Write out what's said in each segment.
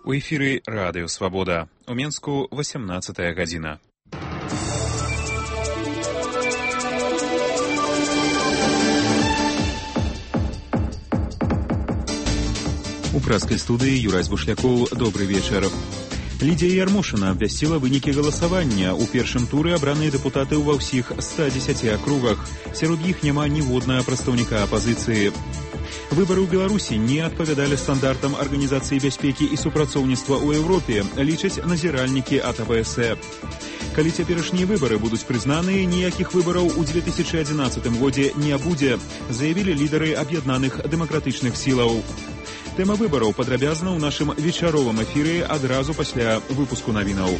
У эфіры Радыё Свабода. У Менску 18 гадзіна. У пражской студии Юрай Бушляков. Добрый вечер. Лідія Ярмошина абвясціла вынікі галасавання. У першым туры абраныя дэпутаты ва ўсіх 110 акругах. Сярод іх няма ніводнага прадстаўніка апазіцыі. Выборы ў Беларусі не адпавядалі стандартам Арганізацыі бяспекі і супрацоўніцтва ў Еўропе, лічаць назіральнікі ад АБС. Калі цяперашнія выборы будуць прызнаныя, ніякіх выбораў у 2011 годзе не будзе, заявілі лідары аб'яднаных дэмакратычных сілаў. Тэма выбораў падрабязна ў нашым вечаровым эфіры адразу пасля выпуску навінаў.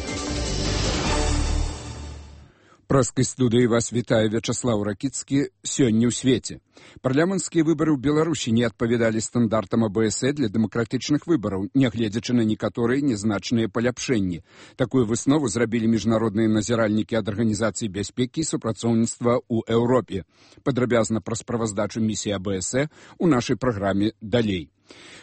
Праскай студыі вас вітае Вячаслаў Ракіцкі. Сёння ў свеце. Парламенцкія выбары ў Беларусі не адпавядалі стандартам АБС для дэмакратычных выбараў, нягледзячы на некаторыя нязначныя паляпшэнні. Такую выснову зрабілі міжнародныя назіральнікі ад Арганізацыі бяспекі і супрацоўніцтва ў Еўропе. Падрабязна пра справаздачу місіі АБС у нашай праграме далей.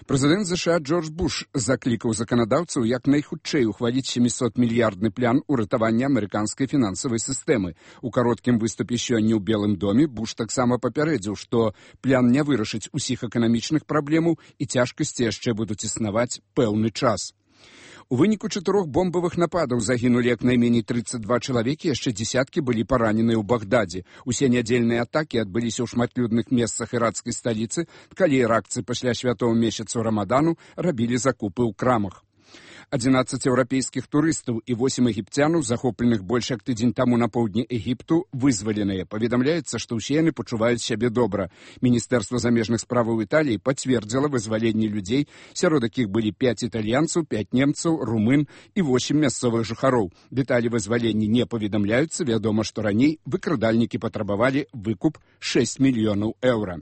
Прэзідэнт США Джордж Буш заклікаў заканадаўцаў як найхутчэй ухваліць 700-мільярдны план уратавання амерыканскай фінансавай сістэмы. У кароткім выступе сёння ў Белым доме Буш таксама папярэдзіў, што план не вырашыць усіх эканамічных праблемаў і цяжкасці яшчэ будуць існаваць пэўны час. У выніку 4 бомбавых нападаў загінулі як найменей 32 чалавекі, яшчэ дзесяткі былі параненыя ў Багдадзе. Усе нядзельныя атакі адбыліся ў шматлюдных месцах іракскай сталіцы, калі іракцы пасля святого месяцу Рамадану рабілі закупы ў крамах. 11 еўрапейскіх турыстаў і 8 егіпцянаў, захопленых больш як тыдзень таму на поўдні Егіпту, вызваленыя. Паведамляецца, што ўсе яны пачуваюць сябе добра. Міністэрства замежных справаў Італіі пацвердзіла вызваленне людзей, сярод якіх былі 5 італьянцаў, 5 немцаў, румын і 8 мясцовых жыхароў. Дэталі вызвалення не паведамляюцца, вядома, што раней выкрадальнікі патрабавалі выкуп 6 мільёнаў еўра.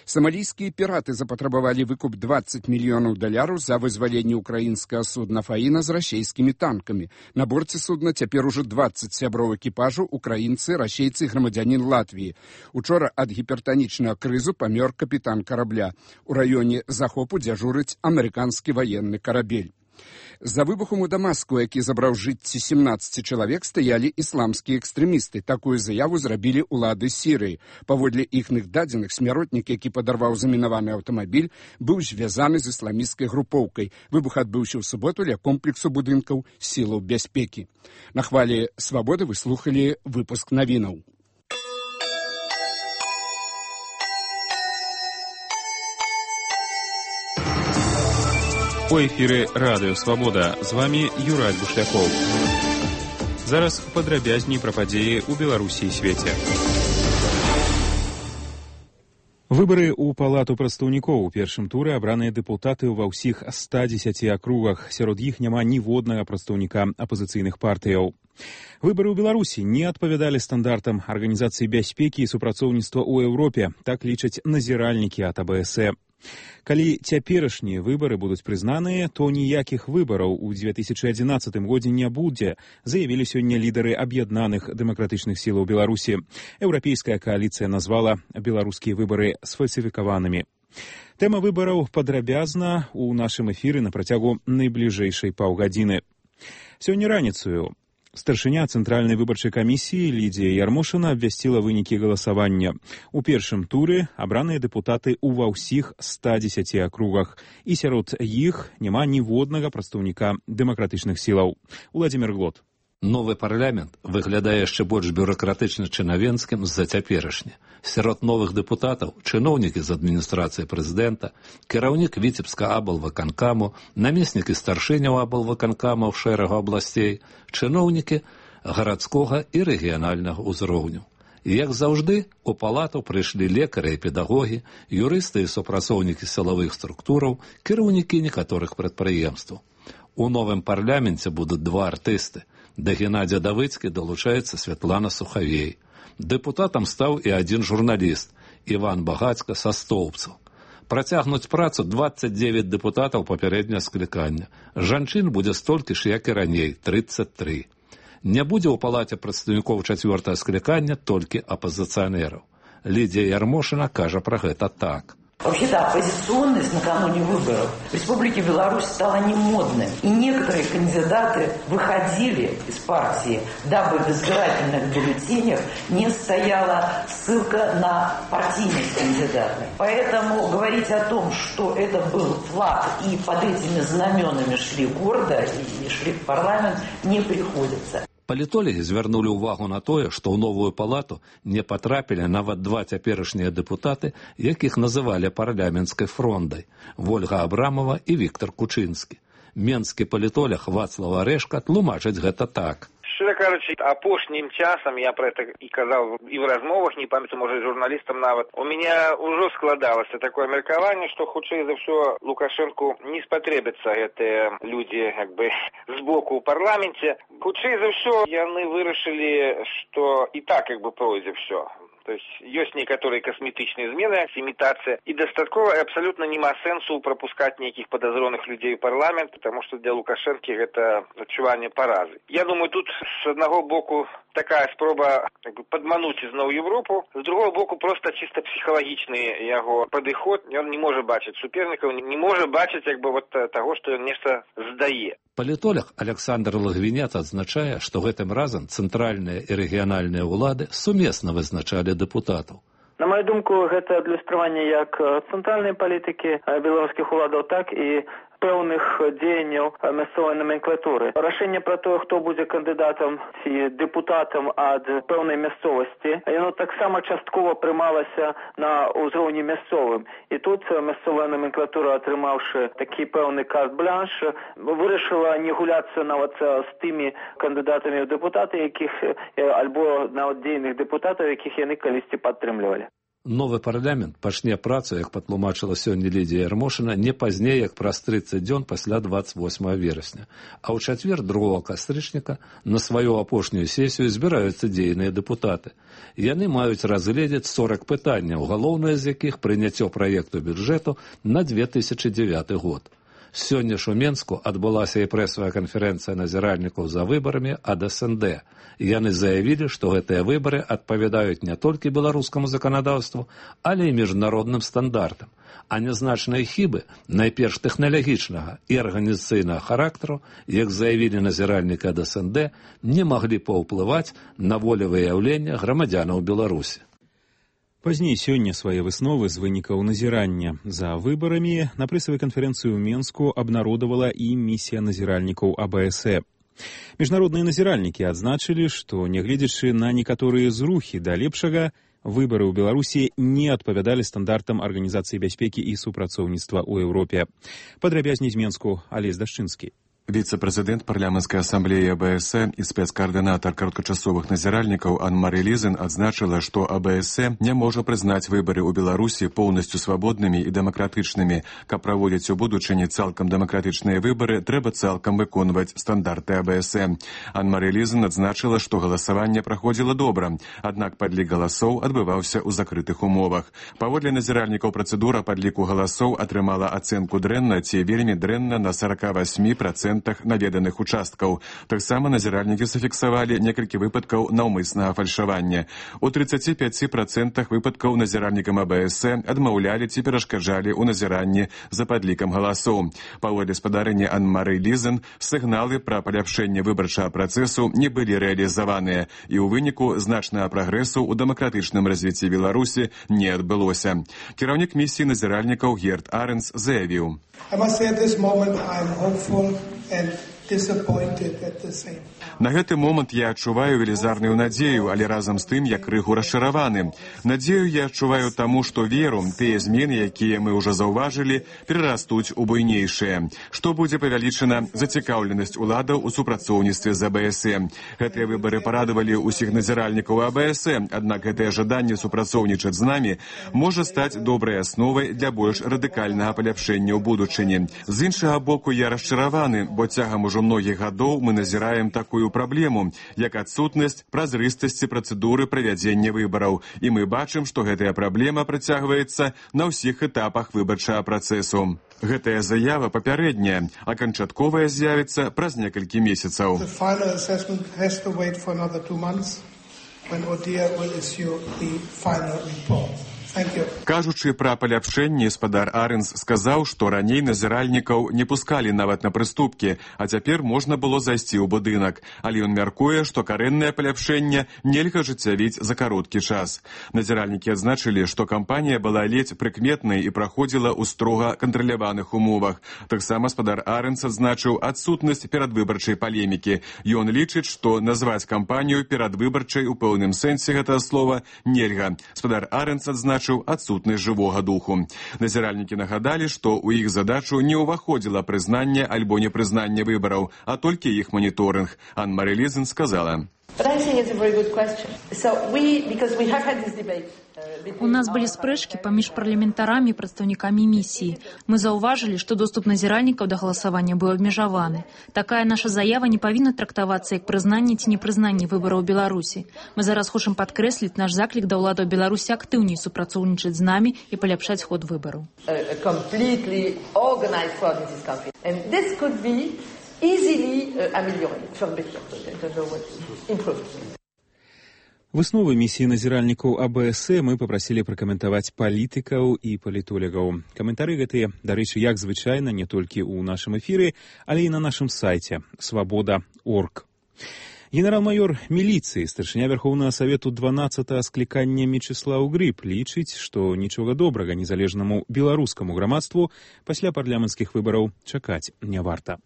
Самалійскія піраты запатрабавалі выкуп $20 мільёнаў за вызваленне украінскага судна «Фаіна» з расейскімі танкамі. На борце судна цяпер ужо 20 сяброў экіпажу, украінцы, расейцы і грамадзянін Латвіі. Учора ад гіпертанічнага крызу памёр капітан карабля. У раёне захопу дзяжурыць амерыканскі ваенны карабель. За выбухом у Дамаску, які забраў жыцці 17 чалавек, стаялі ісламскія экстрэмісты. Такую заяву зрабілі ўлады Сірыі. Паводле іхных дадзеных, смяротнік, які падарваў замінаваны аўтамабіль, быў звязаны з ісламісцкай групоўкай. Выбух адбыўся ў суботу ля комплексу будынкаў сілаў бяспекі. На хвалі Свабоды вы слухалі выпуск навінаў. У эфіры Радыё Свабода. З вами Юрай Бушляков. Зараз падрабязней пра падзеі ў Беларусі і свеце. Выбары ў палату прадстаўнікоў у першым туры абраныя дэпутаты ва ўсіх 110 акругах. Сярод іх няма ніводнага прадстаўніка апазіцыйных партыяў. Выбары ў Беларусі не адпавядалі стандартам Арганізацыі бяспекі і супрацоўніцтва ў Еўропе, так лічаць назіральнікі ад АБС. Калі цяперашнія выбары будуць прызнаныя, то ніякіх выбараў у 2011 годзе не будзе, заявілі сёння лідары аб'яднаных дэмакратычных сілаў Беларусі. Еўрапейская кааліцыя назвала беларускія выбары сфальсіфікаванымі. Тэма выбараў падрабязна ў нашым эфіры на працягу найбліжэйшай паўгадзіны. Сёння раніцаю старшыня Цэнтральнай выбарчай камісіі Лідія Ярмошина абвясціла вынікі галасавання. У першым туры абраныя дэпутаты ва ўсіх 110 акругах, і сярод іх няма ніводнага прадстаўніка дэмакратычных сілаў. Уладзімір Глот. Новы парламент выглядае яшчэ больш бюракратычна чынавенскім з-за цяперашня. Сярод новых дэпутатаў чыноўнікі з адміністрацыі прэзідэнта, кіраўнік Віцебска аблвыканкаму, намеснікі старшыняў аблвыканкамаў шэрагу абласцей, чыноўнікі гарадскога і рэгіянальнага ўзроўню. І, як заўжды, у палату прыйшлі лекары і педагогі, юрысты і супрацоўнікі сілавых структураў, кіраўнікі некаторых прадпрыемстваў. У новым парламенце будуць 2 артысты. Да Геннадзя Давыцкі далучаецца Святлана Сухавей. Дэпутатам стаў і адзін журналіст, Іван Багацька са Стоўбцаў. Працягнуць працу 29 дэпутатаў папярэдняга склікання. Жанчын будзе столькі ж, як і раней, 33. Не будзе ў палаце прадстаўнікоў 4-го склікання толькі апазіцыянераў. Лідія Ярмошина кажа пра гэта так. Вообще-то оппозиционность накануне выборов в Республике Беларусь стала немодной. И некоторые кандидаты выходили из партии, дабы в избирательных бюллетенях не стояла ссылка на партийность кандидата. Поэтому говорить о том, что это был флаг и под этими знаменами шли гордо и шли в парламент, не приходится. Палітолагі звярнулі ўвагу на тое, што ў новую палату не патрапілі нават два цяперашнія дэпутаты, якіх называлі парламенцкай фрондай – Вольга Абрамова і Віктор Кучынскі. Менскі палітолаг Вацлав Арэшка тлумачыць гэта так. Шчыра кажучы, апошнім часам, я про это і казаў і в размовах, не памятаю, можа, журналістам нават, у меня ўжо складалася такое меркаванне, што хутчэй за ўсё Лукашэнку не спатрэбяцца гэтыя людзі, як бы, з боку ў парламенце. Хутчэй за ўсё яны вырашылі, што і так, як бы, пройдзе ўсё. То есть есть некоторые косметичные измены, имитация, и достатково и абсолютно нема сенсу пропускать неких подозренных людей в парламент, потому что для Лукашенко это отчувание поразы. Я думаю, тут с одного боку такая спроба подмануть изнову Европу, с другого боку просто чисто психологичный его подход, он не может бачить суперников, не может бачить как бы вот того, что он нечто сдае. Палітолог Александр Лагвінец адзначае, што гэтым разам цэнтральныя і рэгіянальныя ўлады сумесна вызначалі дэпутатаў. На мою думку, гэта адлюстраванне як цэнтральнай палітыкі беларускіх уладаў, так і пэўных дзеянняў мясцовай номенклатуры. Рашэнне пра тое, хто будзе кандыдатам ці дэпутатам ад пэўнай мясцовасці, яно таксама часткова прымалася на ўзроўні мясцовым. І тут мясцовая номенклатура, атрымаўшы такі пэўны карт-бланш, вырашыла не гуляцца нават з тымі кандыдатамі ў дэпутаты, якіх альбо нават дзейных дэпутатаў, якіх яны калісьці падтрымлівалі. Новы парламент пачне працу, як патлумачыла сёння Лідія Ярмошына, не пазней, як праз 30 дзён пасля 28 верасня. А ў чацвер 2 кастрычніка на сваю апошнюю сесію збіраюцца дзейныя дэпутаты. Яны маюць разгледзець 40 пытанняў, галоўнае з якіх прыняццё праекту бюджэту на 2009 год. Сёння ж у Менску адбылася і прэсавая канферэнцыя назіральнікаў за выбарамі ад СНД. Яны заявілі, што гэтыя выбары адпавядаюць не толькі беларускаму заканадаўству, але і міжнародным стандартам. А нязначныя хібы, найперш тэхналагічнага і арганізацыйнага характару, як заявілі назіральнікі ад СНД, не маглі паўплываць на волевыяўлення грамадзянаў Беларусі. Пазней сёння свае высновы з вынікаў назірання за выбарамі на прэсавай канферэнцыі ў Менску абнародавала і місія назіральнікаў АБСЭ. Міжнародныя назіральнікі адзначылі, што, нягледзячы на некаторыя зрухі да лепшага, выбары ў Беларусі не адпавядалі стандартам Арганізацыі бяспекі і супрацоўніцтва ў Еўропе. Падрабязней з Менску Алесь Дашчынскі. Віцэ-прэзідэнт парламенцкай асамблеі АБСЭ і спецкаардынатар кароткачасовых назіральнікаў Анн-Мары Лізен адзначыла, што АБСЭ не можа прызнаць выбары ў Беларусі поўнасцю свабоднымі і дэмакратычнымі. Каб праводзіць у будучыні цалкам дэмакратычныя выбары, трэба цалкам выконваць стандарты АБСЭ. Анн-Мары Лізен адзначыла, што галасаванне праходзіла добра, аднак падлік галасоў адбываўся ў закрытых умовах. Паводле назіральнікаў працэдура падліку галасоў атрымала ацэнку дрэнна ці вельмі дрэнна на 48% наведаных участкаў. Таксама назіральнікі зафіксавалі некалькі выпадкаў наўмыснага фальшавання. У 35% выпадкаў назіральнікам АБСЭ адмаўлялі ці перашкаджалі ў назіранні за падлікам галасоў. Паводле спадарэння Анн-Мары Лізен, сігналы пра паляпшэнне выбарчага працэсу не былі рэалізаваныя, і ў выніку значнага прагрэсу ў дэмакратычным развіцці Беларусі не адбылося. Кіраўнік місіі назіральнікаў Герт Аренс заявіў: На гэты момант я адчуваю велізарную надзею, але разам з тым я крыху расчараваны. Надзею я адчуваю таму, што веру, тыя змены, якія мы ўжо заўважылі, перарастуць у буйнейшыя. Што будзе павялічана зацікаўленасць уладаў у супрацоўніцтве з АБСЭ. Гэтыя выбары парадавалі ўсіх назіральнікаў АБСЭ, аднак гэтае жаданне супрацоўнічаць з намі можа стаць добрай асновай для больш радыкальнага паляпшэння ў будучыні. З іншага боку, я расчараваны, бо цягам ужо многіх гадоў мы назіраем такую праблему, як адсутнасць празрыстасці працэдуры правядзення выбараў. І мы бачым, што гэтая праблема працягваецца на ўсіх этапах выбарчага працэсу. Гэтая заява папярэдняя, а канчатковая з'явіцца праз некалькі месяцаў. Кажучы пра паляпшэнні, спадар Арэнс сказаў, што раней назіральнікаў не пускалі нават на прыступкі, а цяпер можна было зайсці ў будынак. Але ён мяркуе, што карэннае паляпшэнне нельга ажыццявіць за кароткі час. Назіральнікі адзначылі, што кампанія была ледзь прыкметнай і праходзіла ў строга кантраляваных умовах. Таксама спадар Арэнс адзначыў адсутнасць перадвыбарчай палемікі. Ён лічыць, што назваць кампанію перадвыбарчай у пэўным сэнсе гэтага слова нельга. Спадар Арэнс адзначыў адсутнасць жывога духу. Назіральнікі нагадалі, што ў іх задачу не ўваходзіла прызнанне альбо непрызнанне выбараў, а толькі іх маніторынг. Анн-Марі Лізен сказала. У нас былі спрэчкі паміж парламентарамі і прадстаўнікамі місіі. Мы заўважылі, што доступ назіральнікаў да галасавання быў абмежаваны. Такая наша заява не павінна трактавацца як прызнанне ці непрызнанне выбараў Беларусі. Мы зараз хочам падкрэсліць наш заклік да ўладаў Беларусі актыўней супрацоўнічаць з намі і паляпшаць ход выбараў. Высновы місіі назіральнікаў АБС мы папрасілі пракаментаваць палітыкаў і палітолягаў. Каментары гэтыя, дарэчы, як звычайна, не толькі ў нашым эфіры, але і на нашым сайце свабода.орг. Генерал-майор міліцыі, старшыня Верхоўнага Савету 12-го склікання Мечыслаў Грыб лічыць, што нічога добрага незалежнаму беларускаму грамадству пасля парламенцкіх выбараў чакаць не варта.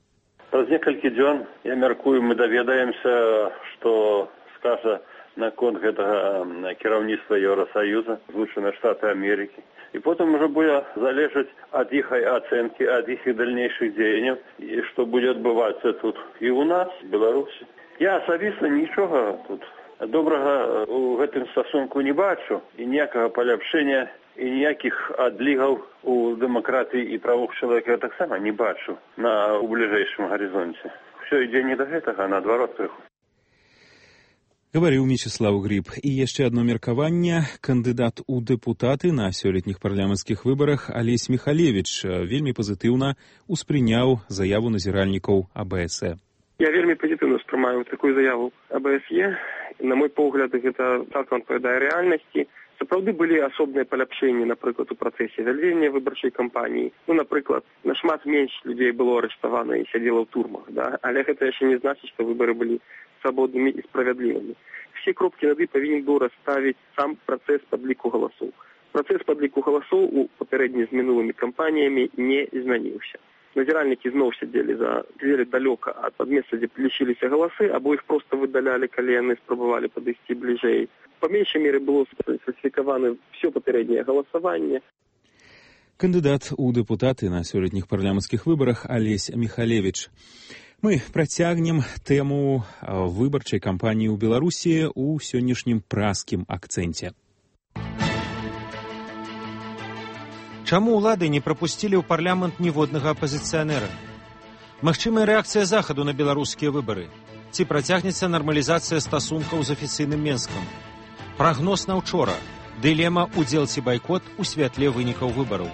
Праз некалькі дзён, я мяркую, мы даведаемся, што скажа наконт гэтага кіраўніцтва Еўрасаюза, Злучаныя Штаты Амерыкі. І потым уже будзе залежаць ад іх ацэнкі, ад іх дальнейшых дзеянняў, і што будзе адбывацца тут і ў нас, в Беларусі. Я асабіста нічога тут добрага ў гэтым стасунку не бачу, і ніякага паляпшэння, і ніякіх адлігаў у дэмакратыі і правах чалавека я таксама не бачу у бліжэйшым гарызонце. Усё ідзе не да гэтага, а наадварот крыху. Гаварыў Мечыслаў Грыб. І яшчэ адно меркаванне. Кандыдат у дэпутаты на сёлетніх парламенцкіх выбарах Алесь Михалевич вельмі пазітыўна ўспрыняў заяву назіральнікаў АБС. Я вельмі пазітыўна ўспрымаю такую заяву АБСЕ. На мой погляд, гэта цалкам адпавядае рэальнасці. Сапраўды былі асобныя паляпшэнні, напрыклад, у працэсе вядзення выбарчай кампаніі. Напрыклад, нашмат менш людзей было арыштавана і сядзела ў турмах, да? Але гэта яшчэ не значыць, што выбары былі свободными и справедливыми. Все кропки над «и» повинен был расставить сам процесс падліку голосов. Процесс падліку голосов у попередніх з минулыми кампаніями не змянился. Назиральники знову сидели далеко от места, где лічилися голоси, або их просто выдаляли, коли они спробовали подойти ближей. По меньшей мере было сфальсификовано все попереднее голосование. Кандидат у депутаты на сёлетніх парламенцкіх выбарах Алесь Михалевич. Мы працягнем тэму выбарчай кампаніі ў Беларусі ў сённяшнім праскім акцэнце. Чаму ўлады не прапусцілі ў парламент ніводнага апазіцыянера? Магчымая рэакцыя захаду на беларускія выбары? Ці працягнецца нармалізацыя стасункаў з афіцыйным Менскам? Прагноз на ўчора. Дылема удзел ці байкот у святле вынікаў выбараў.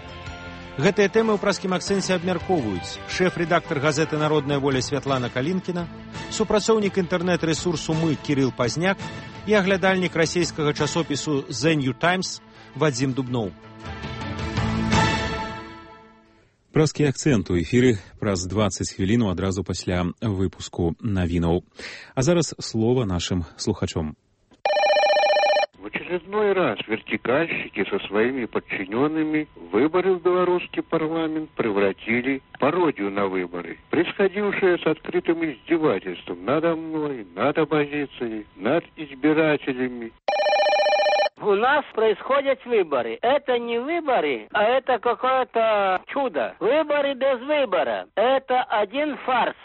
Гэтыя тэмы ў праскім акцэнце абмяркоўваюць шэф-рэдактар газеты «Народная воля» Святлана Калінкіна, супрацоўнік інтэрнэт-рэсурсу «Мы» Кірыл Пазняк і аглядальнік расійскага часопісу «The New Times» Вадзім Дубноў. Праскі акцэнт у эфіры праз 20 хвілін адразу пасля выпуску навінаў. А зараз слова нашым слухачом. В очередной раз вертикальщики со своими подчиненными выборы в белорусский парламент превратили в пародию на выборы, происходившее с открытым издевательством надо мной, над оппозицией, над избирателями. У нас происходят выборы. Это не выборы, а это какое-то чудо. Выборы без выбора. Это один фарс.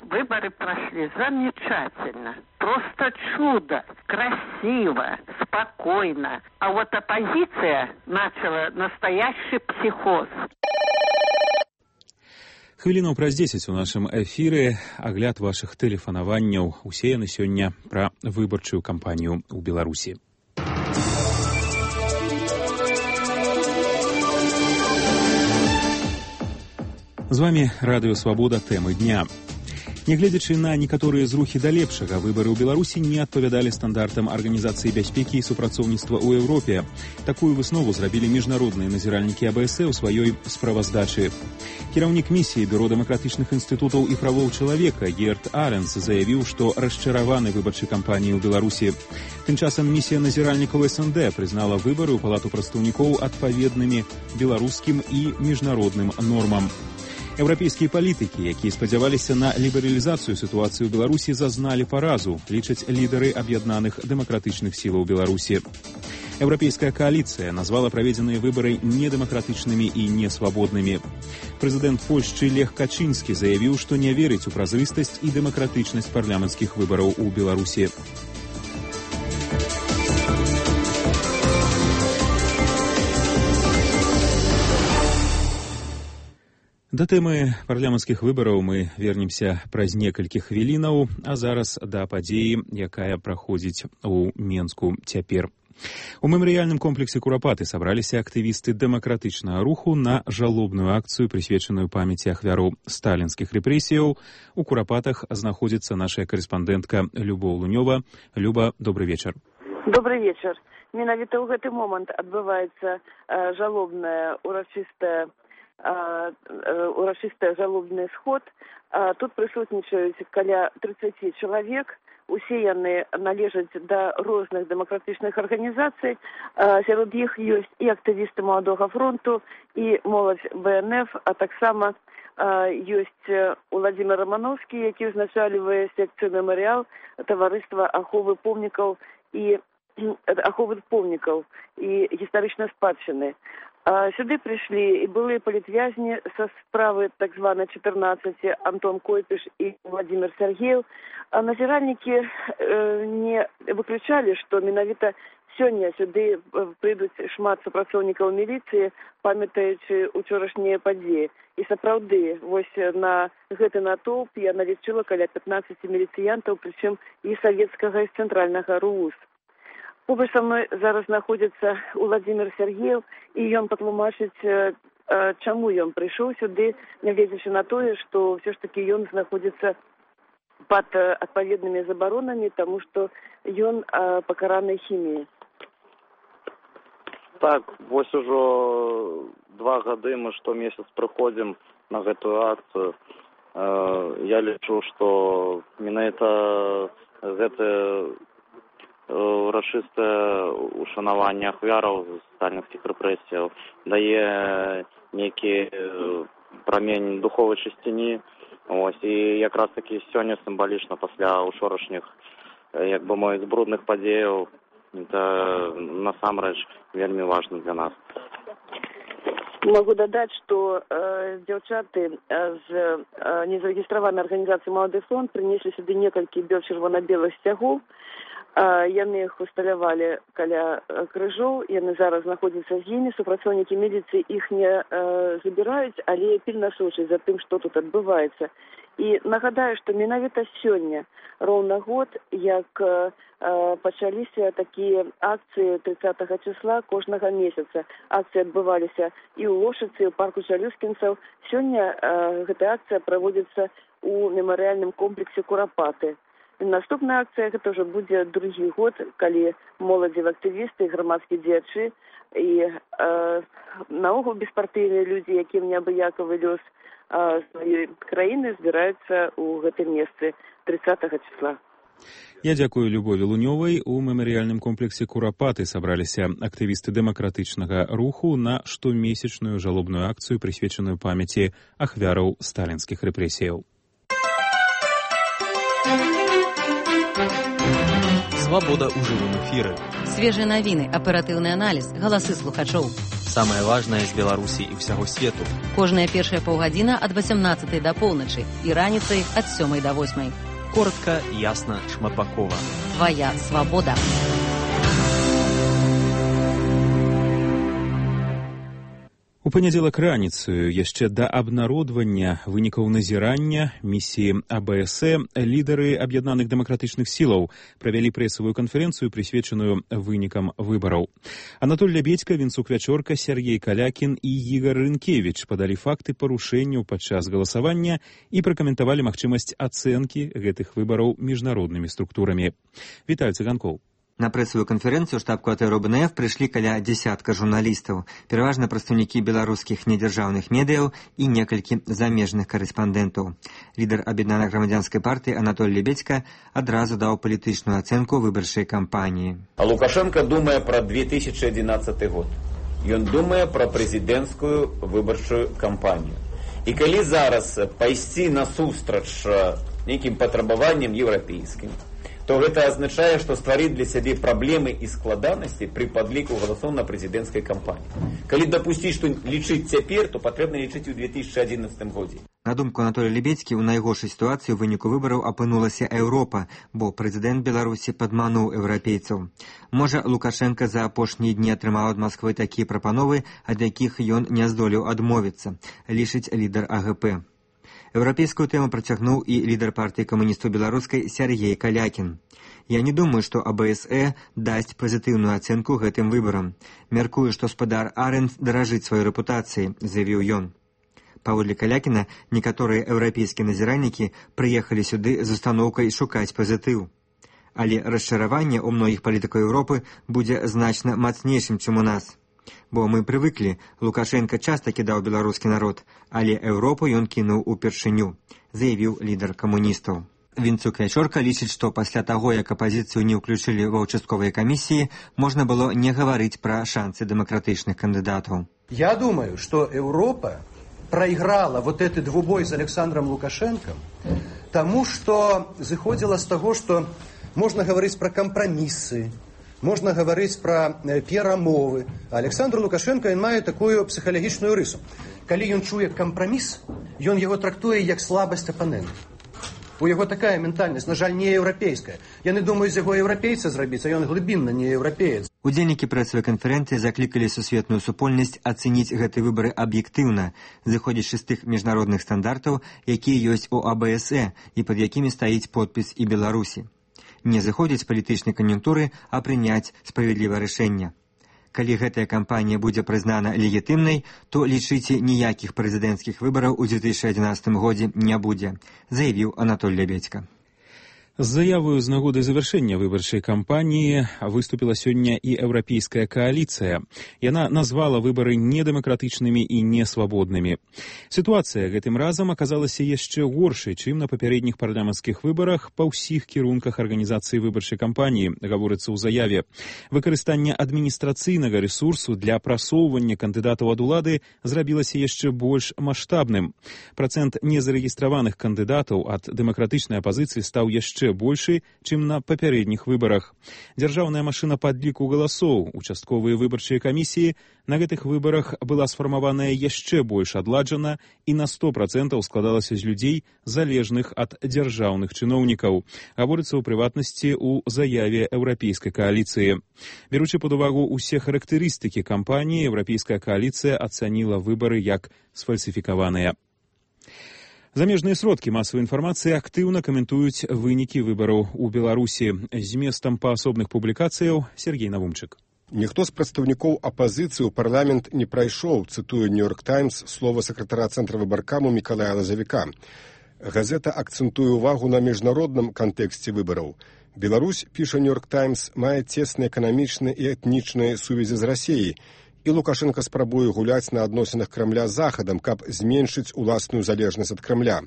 Выборы прошли замечательно. Просто чудо. Красиво, спокойно. А вот оппозиция начала настоящий психоз. Хвілінаў праз 10 у нашым эфіры агляд вашых тэлефанаванняў. Усе яны сёння пра выбарчую кампанію ў Беларусі. З вами Радыё Свабода, тэмы дня. Нягледзячы на некаторыя зрухі да лепшага, выбары ў Беларусі не адпавядалі стандартам Арганізацыі бяспекі і супрацоўніцтва ў Еўропе. Такую выснову зрабілі міжнародныя назіральнікі АБС у сваёй справаздачы. Кіраўнік місіі Бюро дэмакратычных інстытутаў і правоў чалавека Герт Аренс заявіў, што расчараваны выбарчай кампаніяй у Беларусі. Тым часам місія назіральнікаў СНД прызнала выбары ў Палату прадстаўнікоў адпаведнымі беларускім і міжнародным нормам. Еўрапейскія палітыкі, якія спадзяваліся на лібералізацыю сітуацыі ў Беларусі, зазналі паразу, лічаць лідары аб'яднаных дэмакратычных сілаў Беларусі. Еўрапейская кааліцыя назвала праведзеныя выбары недэмакратычнымі і несвабоднымі. Прэзідэнт Польшчы Лех Качынскі заявіў, што не верыць у празрыстасць і дэмакратычнасць парламенцкіх выбараў у Беларусі. Да тэмы парламенцкіх выбараў мы вернемся праз некалькі хвілінаў, а зараз да падзеі, якая праходзіць у Менску цяпер. У мемарыяльным комплексе Курапаты сабраліся актывісты дэмакратычнага руху на жалобную акцыю, прысвечаную памяці ахвяраў сталінскіх рэпрэсіяў. У Курапатах знаходзіцца наша карэспандэнтка Любоў Лунёва. Люба, добры вечар. Добрый вечар. Менавіта ў гэты момант адбываецца жалобная урачыстая жалобны сход. Тут прысутнічаюць каля 30 чалавек. Усе яны належаць да розных дэмакратычных арганізацый. Сярод іх ёсць і актывісты Маладога фронту, і моладзь БНФ, а таксама ёсць Уладзімир Романовскі, які ўзначальвае секцыю мемарыял таварыства аховы помнікаў і гістарычнай спадчыны. Сюды прыйшлі і былыя палітвязні са справы так званай 14, Антон Койпіш і Владимир Сергеев. Назіральнікі не выключалі, што менавіта сёння сюды прыйдуць шмат супрацоўнікаў міліцыі, памятаючы учорашнія падзеі. І сапраўды, вось на гэты натоўп я налічыла каля 15 міліцыянтаў, прычым і савецкага, і цэнтральнага РУС. Побач са мной зараз знаходзіцца Владимир Сергеев, і ён патлумачыць, чаму ён прыйшоў сюды, нягледзячы на тое, што ўсё ж такі ён знаходзіцца пад адпаведнымі забаронамі, таму што ён пакараны хіміяй. Так, вось ужо 2 гады мы штомесяц прыходзім на гэтую акцыю. Я лічу, што менавіта гэта урачыстае ушанаванне ахвяраў сталінскіх рэпрэсіяў дае нейкі прамень духовай чысціні. Ось, і якраз такі сёння сімвалічна пасля учорашніх, як бы мовіць, брудных падзеяў, это насамрэч вельмі важна для нас. Могу дадаць, што дзяўчаты з незарэгістраванай арганізацыі «Малады фронт» прынеслі сюды некалькі чырвона-белых сцягоў. Яны іх усталявалі каля крыжоў, яны зараз знаходзяцца з імі, супрацоўнікі міліцыі іх не забіраюць, але пільна сочаць за тым, што тут адбываецца. І нагадаю, што менавіта сёння, роўна год, як пачаліся такія акцыі 30 числа кожнага месяца. Акцыі адбываліся і ў Лошыцы, і ў парку Чалюскінцаў. Сёння гэтая акцыя праводзіцца ў мемарыяльным комплексе Курапаты. Наступная акцыя гэта ўжо будзе другі год, калі моладзевыя актывісты, грамадскія дзеячы і наогул беспартыйныя людзі, якім неабыякавы лёс сваёй краіны, збіраюцца ў гэтым месцы 30 числа. Я дзякую Любові Лунёвай. У мемарыяльным комплексе Курапаты сабраліся актывісты дэмакратычнага руху на штомесячную жалобную акцыю, прысвечаную памяці ахвяраў сталінскіх рэпрэсіяў. Свабода ў жывым эфіры. Свежыя навіны, аператыўны аналіз, галасы слухачоў. Самае важнае з Беларусі і ўсяго свету. Кожная першая паўгадзіна ад 18 да поўначы і раніцай ад 7 да 8. Коротка, ясна, шматбакова. Твая свабода. У У панядзелак раніцаю, яшчэ да абнародвання вынікаў назірання місіі АБС, лідары аб'яднаных дэмакратычных сілаў правялі прэсавую канферэнцыю, прысвечаную вынікам выбараў. Анатоль Лябедзька, Вінцук Вячорка, Сергей Калякін і Ігар Рынкевіч падалі факты парушэнняў падчас галасавання і пракаментавалі магчымасць ацэнкі гэтых выбараў міжнароднымі структурамі. Віталь Цыганкоў. На прэсавую канферэнцыю штаб-кватэру БНФ прыйшлі каля дзясятка журналістаў, пераважна прадстаўнікі беларускіх недзяржаўных медыяў і некалькі замежных корэспандэнтаў. Лідар аб'яднанай грамадзянскай партыі Анатоль Лябедзька адразу даў палітычную ацэнку выбарчай кампаніі. А Лукашенко думае пра 2011 год. Ён думае пра прэзідэнцкую выбарчую кампанію. І калі зараз пайсці насустрач нейкім патрабаванням еўрапейскім, то гэта азначае, што стварыць для сябе праблемы і складанасці пры падліку галасоў на прэзідэнцкай кампаніі. Калі дапусціць, што лічыць цяпер, то патрэбна лічыць у 2011 годзе. На думку Анатолія Лябедзькі, у найгоршай сітуацыі ў выніку выбараў апынулася Еўропа, бо прэзідэнт Беларусі падмануў еўрапейцаў. Можа, Лукашенко за апошнія дні атрымаў ад Масквы такія прапановы, ад якіх ён не здолеў адмовіцца, лічыць лідар АГП. Еўрапейскую тэму працягнуў і лідар партыі камуністаў беларускай Сергей Калякін. Я не думаю, што АБСЭ дасць пазітыўную ацэнку гэтым выбарам. Мяркую, што спадар Арэнс даражыць сваёй рэпутацыяй, заявіў ён. Паводле Калякіна, некаторыя еўрапейскія назіральнікі прыехалі сюды з устаноўкай шукаць пазітыў. Але расчараванне ў многіх палітыкаў Еўропы будзе значна мацнейшым, чым у нас. Бо мы прывыклі, Лукашенко часта кідаў беларускі народ, але Еўропу ён кінуў упершыню, заявіў лідар камуністаў. Вінцук Вячорка лічыць, што пасля таго, як апазіцыю не ўключылі ва ўчастковыя камісіі, можна было не гаварыць пра шансы дэмакратычных кандыдатаў. Я думаю, что Европа проиграла вот этот двубой с Александром Лукашенко, тому что заходило с того, что можно говорить про компромиссы, можно говорить про перамовы. А Александр Лукашенко ён мае такую псіхалагічную рысу. Калі ён чуе кампраміс, ён яго трактуе як слабасць апанента. У яго такая ментальнасць, на жаль, не еўрапейская. Яны думаюць яго еўрапейца зрабіць, а ён глыбінна не еўрапеец. Удзельнікі прэсавай канферэнцыі заклікалі сусветную супольнасць ацэніць гэты выбары аб'ектыўна, зыходзячы з тых міжнародных стандартаў, якія ёсць у АБСЭ і пад якімі стаіць подпіс і Беларусі. Не заходзіць палітычнай кан'юнктуры, а прыняць справядлівае рашэнне. Калі гэтая кампанія будзе прызнана легітымнай, то лічыце, ніякіх прэзідэнцкіх выбараў у 2011 годзе не будзе, заявіў Анатоль Лябедзька. З заявою з нагоды завяршэння выбарчай кампаніі выступіла сёння і еўрапейская кааліцыя. Яна назвала выбары недэмакратычнымі і несвабоднымі. Сітуацыя гэтым разам аказалася яшчэ горшай, чым на папярэдніх парламенцкіх выбарах па ўсіх кірунках арганізацыі выбарчай кампаніі, гаворыцца ў заяве. Выкарыстанне адміністрацыйнага рэсурсу для прасоўвання кандыдатаў ад улады зрабілася яшчэ больш маштабным. Працэнт незарэгістраваных кандыдатаў ад дэмакратычнай апазіцыі стаў яшчэ большы, чым на папярэдніх выбарах. Дзяржаўная машына падліку галасоў, участковыя выбарчыя камісіі на гэтых выбарах была сфармаваная яшчэ больш адладжана і на 100% складалася з людзей, залежных ад дзяржаўных чыноўнікаў. Гаворыцца ў прыватнасці ў заяве еўрапейскай кааліцыі. Беручы пад увагу ўсе характарыстыкі кампаніі, еўрапейская кааліцыя ацаніла выбары як сфальсіфікаваныя. Замежныя сродкі масавай інфармацыі актыўна каментуюць вынікі выбараў у Беларусі. Зместам паасобных публікацыяў Сергей Навумчык. Ніхто з прадстаўнікоў апазіцыі ў парламент не прайшоў, цытуе Нью-Йорк Таймс слова сакратара цэнтра выбаркаму Мікалая Лазавіка. Газета акцэнтуе ўвагу на міжнародным кантэксце выбараў. Беларусь, піша Нью-Йорк Таймс, мае цесныя эканамічныя і этнічныя сувязі з Расіяй, і Лукашенко спрабуе гуляць на адносінах Крамля з Захадам, каб зменшыць уласную залежнасць ад Крамля.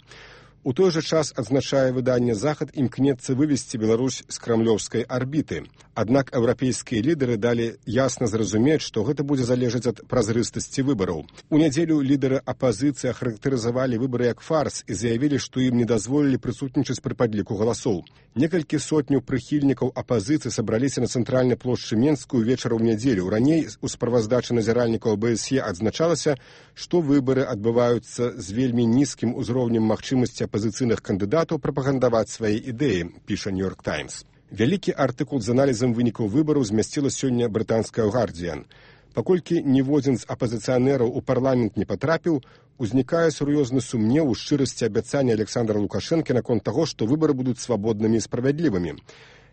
У той жа час, адзначае выданне «Захад», імкнецца вывесці Беларусь з крамлёўскай арбіты. Аднак еўрапейскія лідары далі ясна зразумець, што гэта будзе залежаць ад празрыстасці выбараў. У нядзелю лідары апазіцыі ахарактарызавалі выбары як фарс і заявілі, што ім не дазволілі прысутнічаць пры падліку галасоў. Некалькі сотняў прыхільнікаў апазіцыі сабраліся на цэнтральнай плошчы Менскую вечарам у нядзелю. Раней у справаздачы назіральнікаў АБСЕ адзначалася, што выбары адбываюцца з вельмі нізкім узроўнем магчымасці апазіцыйных кандыдатаў прапагандаваць свае ідэі, піша Нью-Йорк Таймс. Вялікі артыкул з аналізам вынікаў выбараў змясціла сёння брытанская «Гардзіан». Паколькі ніводзін з апазіцыянераў у парламент не патрапіў, узнікае сур'ёзны сумнеў у шчырасці абяцання Александра Лукашэнкі наконт таго, што выбары будуць свабоднымі і справядлівымі.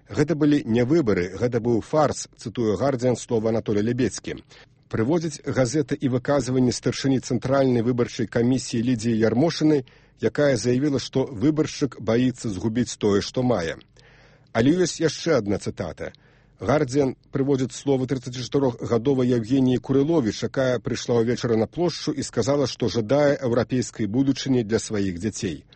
Гэта былі не выбары, гэта быў фарс, цытуе «Гардзіан» слова Анатолія Лебедзькі. Прыводзіць газета і выказванні старшыні Цэнтральнай выбарчай камісіі Лідзіі Ярмошыны, якая заявіла, што выбаршчык баіцца згубіць тое, што мае. Але ёсць яшчэ адна цытата. «Гардзіан» прыводзіць словы 34-гадовай Евгеніі Курыловіч, якая прыйшла ўвечары на плошчу і сказала, што жадае еўрапейскай будучыні для сваіх дзяцей.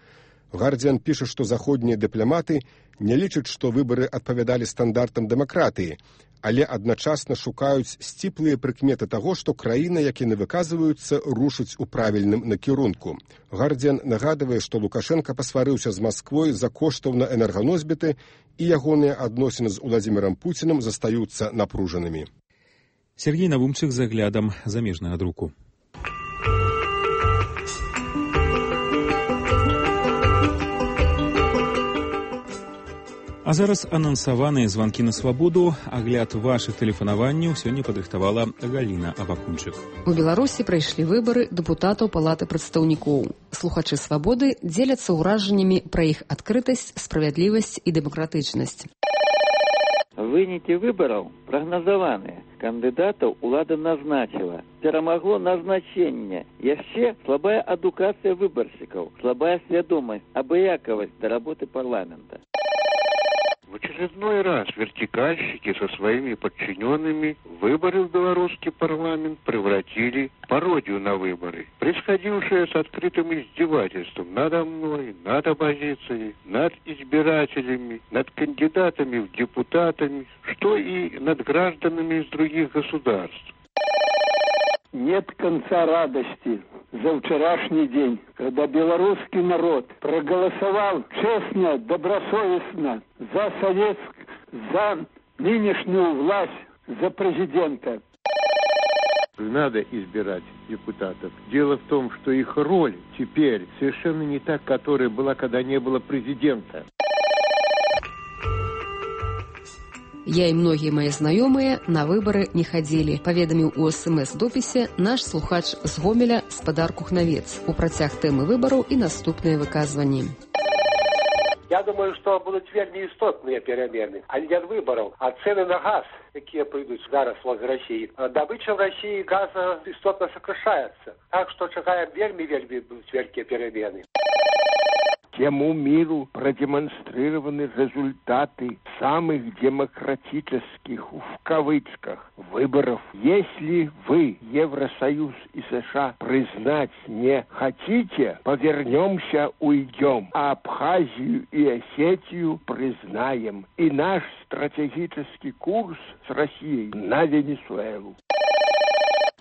«Гардзіан» піша, што заходнія дыпламаты не лічаць, што выбары адпавядалі стандартам дэмакратыі, але адначасна шукаюць сціплыя прыкметы таго, што краіна, як яны выказваюцца, рушыць у правільным накірунку. «Гардзіан» нагадвае, што Лукашенка пасварыўся з Масквой за коштаў на энерганосьбіты, і ягоныя адносіны з Уладзімірам Пуцінам застаюцца напружанымі. Сергей Навумчык з аглядам замежнага друку. А зараз анансаваныя званкі на свабоду. Агляд вашых тэлефанаванняў сёння падрыхтавала Галіна Абакунчык. У Беларусі прайшлі выбары дэпутатаў Палаты прадстаўнікоў. Слухачы свабоды дзеляцца ўражаннямі пра іх адкрытасць, справядлівасць і дэмакратычнасць. Вынікі выбараў прагназаваныя. Кандыдатаў улада назначила. Перамагло назначение. Яшчэ слабая адукацыя выбаршчыкаў, слабая свядомасць, абыякавасць да работы парламента. В очередной раз вертикальщики со своими подчиненными выборы в белорусский парламент превратили в пародию на выборы, происходившее с открытым издевательством надо мной, над оппозицией, над избирателями, над кандидатами в депутатами, что и над гражданами из других государств. Нет конца радости за вчерашний день, когда белорусский народ проголосовал честно, добросовестно за нынешнюю власть, за президента. Надо избирать депутатов. Дело в том, что их роль теперь совершенно не та, которая была, когда не было президента. Я і многія мае знаёмыя на выбары не хадзілі, паведаміў у СМС-допісе наш слухач з Гомеля Спадар Кухнавец у працяг тэмы выбараў і наступныя выказванні. Я думаю, што будуць вельмі істотныя перамены, але не ад выбараў, а цэны на газ, якія прыйдуць зараз з Расіі. Дабыча в Расіі газа істотна сокрашаецца, так што чакаем вельмі будуць вялікія перамены. Всему миру продемонстрированы результаты самых демократических, в кавычках, выборов. Если вы, Евросоюз и США, признать не хотите, повернемся, уйдем. А Абхазию и Осетию признаем. И наш стратегический курс с Россией на Венесуэлу.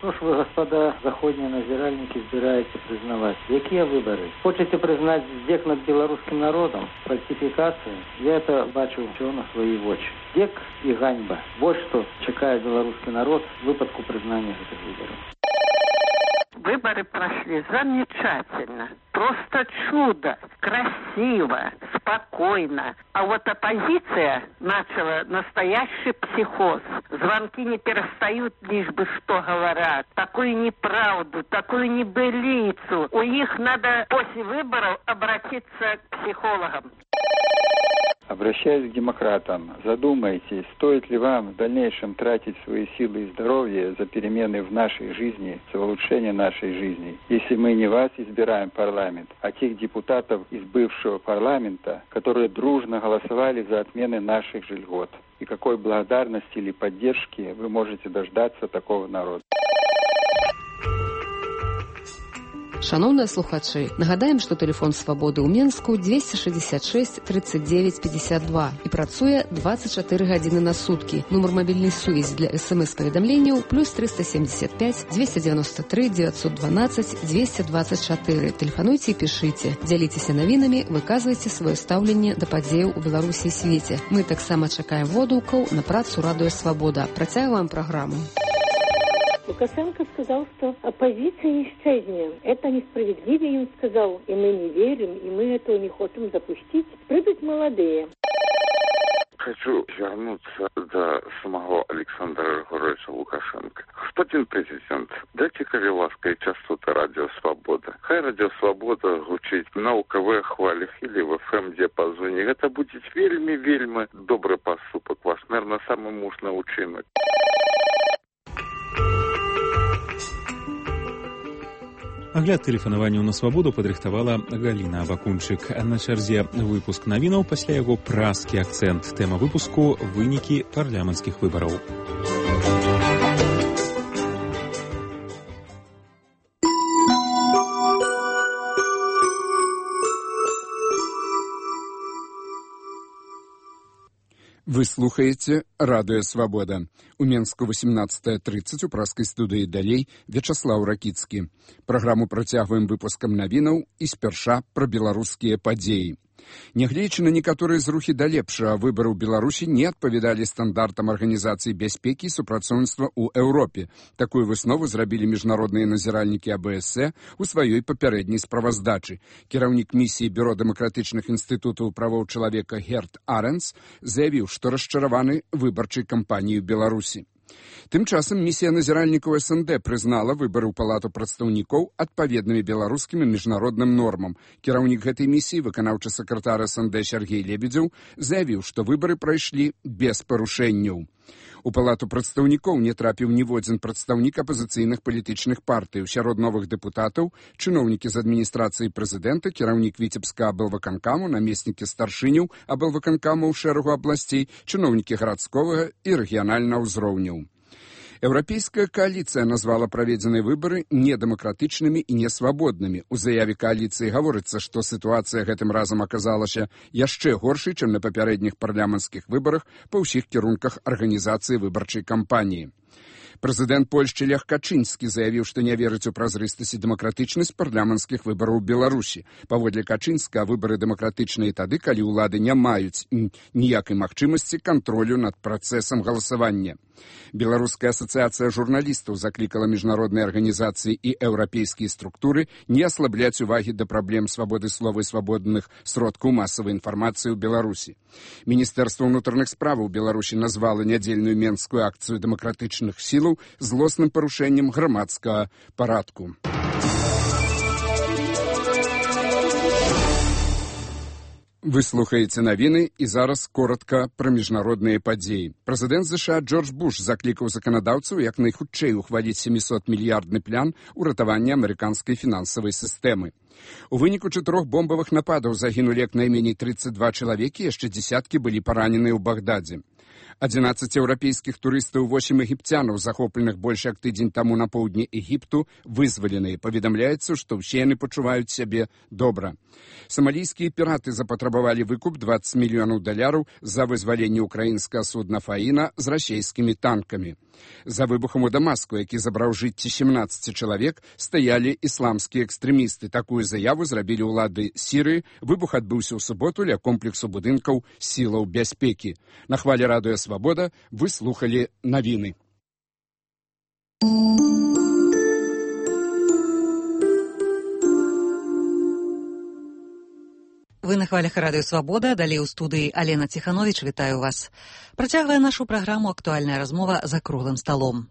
Что ж вы, господа заходние назиральники, збираете признавать? Какие выборы? Хочете признать здек над белорусским народом? Фальсификации? Я это бачу все на свои очи. Здек и ганьба. Вот что чекает белорусский народ в выпадку признания этих выборов. Выборы прошли замечательно. Просто чудо. Красиво, спокойно. А вот оппозиция начала настоящий психоз. Звонки не перестают, лишь бы что говорят. Такую неправду, такую небылицу. У них надо после выборов обратиться к психологам. Обращаясь к демократам, задумайтесь, стоит ли вам в дальнейшем тратить свои силы и здоровье за перемены в нашей жизни, за улучшение нашей жизни, если мы не вас избираем в парламент, а тех депутатов из бывшего парламента, которые дружно голосовали за отмены наших же льгот. И какой благодарности или поддержки вы можете дождаться такого народа. Шановныя слухачы, нагадаем, што тэлефон свабоды ў Менску 266 39 52 і працуе 24 гадзіны на суткі. Нумар мабільнай сувязі для СМС-паведамленняў плюс 375 293 912 224. Тэлефануйце і пішыце. Дзяліцеся навінамі, выказвайце сваё стаўленне да падзеяў у Беларусі і свеце. Мы таксама чакаем водгукаў на працу Радыё Свабода. Працягваем праграму. Лукашенко сказал, что оппозиция исчезнет. Это несправедливо, им сказал, и мы не верим, и мы этого не хотим допустить. Придут молодые. Хочу вернуться до самого Александра Григорьевича Лукашенко. Господин президент, дайте-ка лаской частоты Радио Свобода. Хай Радио Свобода гучить на УКВ хвалях или в ФМ-диапазоне. Это будет вельми добрый поступок. Вас, наверное, самый мужный учинок. Агляд тэлефанаванняў на свабоду падрыхтавала Галіна Абакунчык. На чарзе выпуск навінаў, пасля яго празкі акцэнт. Тэма выпуску – вынікі парламенцкіх выбараў. Вы слухаеце Радыё Свабода. У Менску 18:30 у праскай студыі далей Вячаслаў Ракіцкі. Праграму працягваем выпускам навінаў і спярша пра беларускія падзеі. Нягледзячы на некаторыя зрухі да лепшага, выбары ў Беларусі не адпавядалі стандартам Арганізацыі бяспекі і супрацоўніцтва ў Еўропе. Такую выснову зрабілі міжнародныя назіральнікі АБС у сваёй папярэдняй справаздачы. Кіраўнік місіі Бюро дэмакратычных інстытутаў правоў чалавека Герт Аренс заявіў, што расчараваны выбарчай кампаніяй у Беларусі. Тым часам місія назіральнікаў СНД прызнала выбары ў палату прадстаўнікоў адпаведнымі беларускім і міжнародным нормам. Кіраўнік гэтай місіі, выканаўчы сакратар СНД Сергей Лебедзеў, заявіў, што выбары прайшлі без парушэнняў. У палату прадстаўнікоў не трапіў ніводзін прадстаўнік апазіцыйных палітычных партый. Сярод новых дэпутатаў чыноўнікі з адміністрацыі прэзідэнта, кіраўнік Віцебска аблвыканкаму, намеснікі старшыняў аблвыканкаму ў шэрагу абласцей, чыноўнікі гарадскога і рэгіянальнага ўзроўняў. Еўрапейская кааліцыя назвала праведзеныя выбары недэмакратычнымі і несвабоднымі. У заяве кааліцыі гаворыцца, што сітуацыя гэтым разам аказалася яшчэ горшай, чым на папярэдніх парламенцкіх выбарах па ўсіх кірунках арганізацыі выбарчай кампаніі. Прэзідэнт Польшчы Лех Качынскі заявіў, што не верыць у празрыстасць і дэмакратычнасць парламенцкіх выбараў у Беларусі. Паводле Качынска, выбары дэмакратычныя тады, калі ўлады не маюць ніякай магчымасці кантролю над працэсам галасавання. Беларуская асацыяцыя журналістаў заклікала міжнародныя арганізацыі і еўрапейскія структуры не аслабляць увагі да праблем свабоды слова і свабодных сродкаў масавай інфармацыі ў Беларусі. Міністэрства ўнутраных справаў Беларусі назвала нядзельную менскую акцыю дэмакратычных сілаў злосным парушэннем грамадскага парадку. Вы слухаеце навіны і зараз коротка пра міжнародныя падзеі. Прэзідэнт США Джордж Буш заклікаў заканадаўцаў як найхутчэй ухваліць 700-мільярдны план уратавання амерыканскай фінансавай сістэмы. У выніку 4 бомбавых нападаў загінулі як найменей 32 чалавекі, яшчэ дзесяткі былі параненыя ў Багдадзе. 11 еўрапейскіх турыстаў, 8 егіпцянаў, захопленых больш як тыдзень таму на поўдні Егіпту, вызваленыя. Паведамляецца, што ўсе яны пачуваюць сябе добра. Самалійскія піраты запатрабавалі выкуп $20 мільёнаў за вызваленне ўкраінскага судна «Фаіна» з расійскімі танкамі. За выбухам у Дамаску, які забраў жыцці 17 чалавек, стаялі ісламскія экстрэмісты. Такую заяву зрабілі ўлады Сірыі. Выбух адбыўся ў суботу ля комплексу будынкаў сілаў бяспекі. На хвале Радыё Свабода вы слухалі навіны. Вы на хвалях Радыё Свабода, далей у студыі Алена Ціхановіч, вітаю вас. Працягвае нашу праграму актуальная размова за круглым сталом.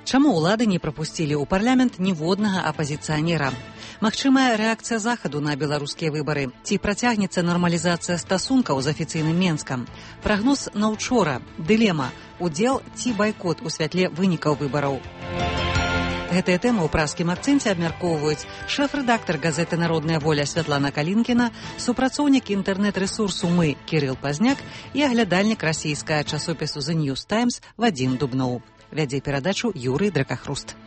Чаму ўлады не прапусцілі ў парламент ніводнага апазіцыянера? Магчымая рэакцыя Захаду на беларускія выбары? Ці працягнецца нармалізацыя стасункаў з афіцыйным Менскам? Прагноз на ўчора. Дылема. Удзел ці байкот у святле вынікаў выбараў? Гэтыя тэмы ў праскім акцэнце абмяркоўваюць шэф-рэдактар газеты «Народная воля» Святлана Калінкіна, супрацоўнік інтэрнэт-рэсурсу «Мы» Кірыл Пазняк і аглядальнік расійскага часопісу «The News Times» Вадзім Дубноў. Вядзе перадачу Юрый Дракахруст.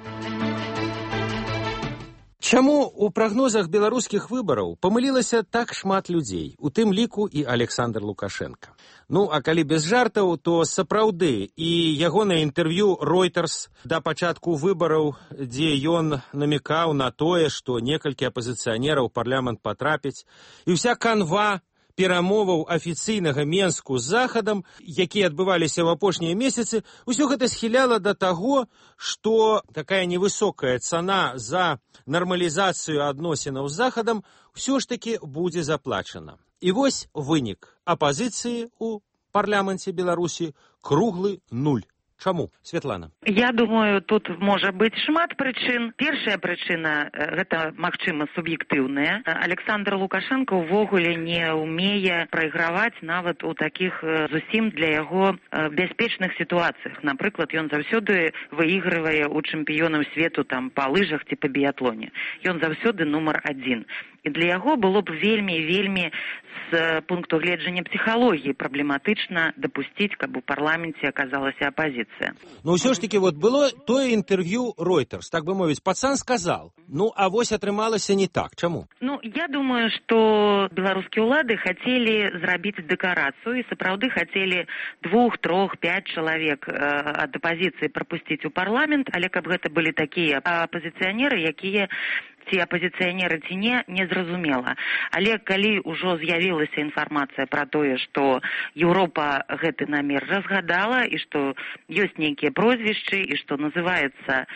Чаму у прагнозах беларускіх выбараў памылілася так шмат людзей, у тым ліку і Александр Лукашенко? Ну, а калі без жартаў, то сапраўды і ягонае інтэрв'ю Reuters да пачатку выбараў, дзе ён намекаў на тое, што некалькі апазіцыянераў у парламент патрапяць, і ўся канва перамоваў афіцыйнага Менску з Захадам, якія адбываліся ў апошнія месяцы, усё гэта схіляла да таго, што такая невысокая цана за нармалізацыю адносінаў з Захадам ўсё ж такі будзе заплачана. І вось вынік апазіцыі ў парламенце Беларусі круглы 0. Чаму, Светлана? Я думаю, тут можа быць шмат прычын. Першая прычына гэта, магчыма, суб'ектыўная. Александр Лукашенко ўвогуле не ўмее прайграваць нават у такіх зусім для яго бяспечных сітуацыях. Напрыклад, ён заўсёды выйгрывае у чэмпіёнаў свету там па лыжах ці па біятлоне. Ён заўсёды нумар 1. І для яго было б вельмі з пункту гледжання псіхалогіі праблематычна дапусціць, каб у парламенце аказалася апазіцыя. Ну, ўсё ж таки, вот было тое інтэрв'ю Reuters, так бы мовіць, пацан сказал. Ну, а вось атрымалася не так. Чаму? Ну, я думаю, што беларускія ўлады хацелі зрабіць дэкарацыю і сапраўды хацелі 2, 3, 5 чалавек ад апазіцыі прапусціць у парламент, але каб гэта былі такія апазіцыянеры, якія ці апазіцыянеры ці не зразумела. Але калі ўжо з'явілася інфармацыя пра тое, што Еўропа гэты намер разгадала і што ёсць нейкія прозвішчы і што называецца,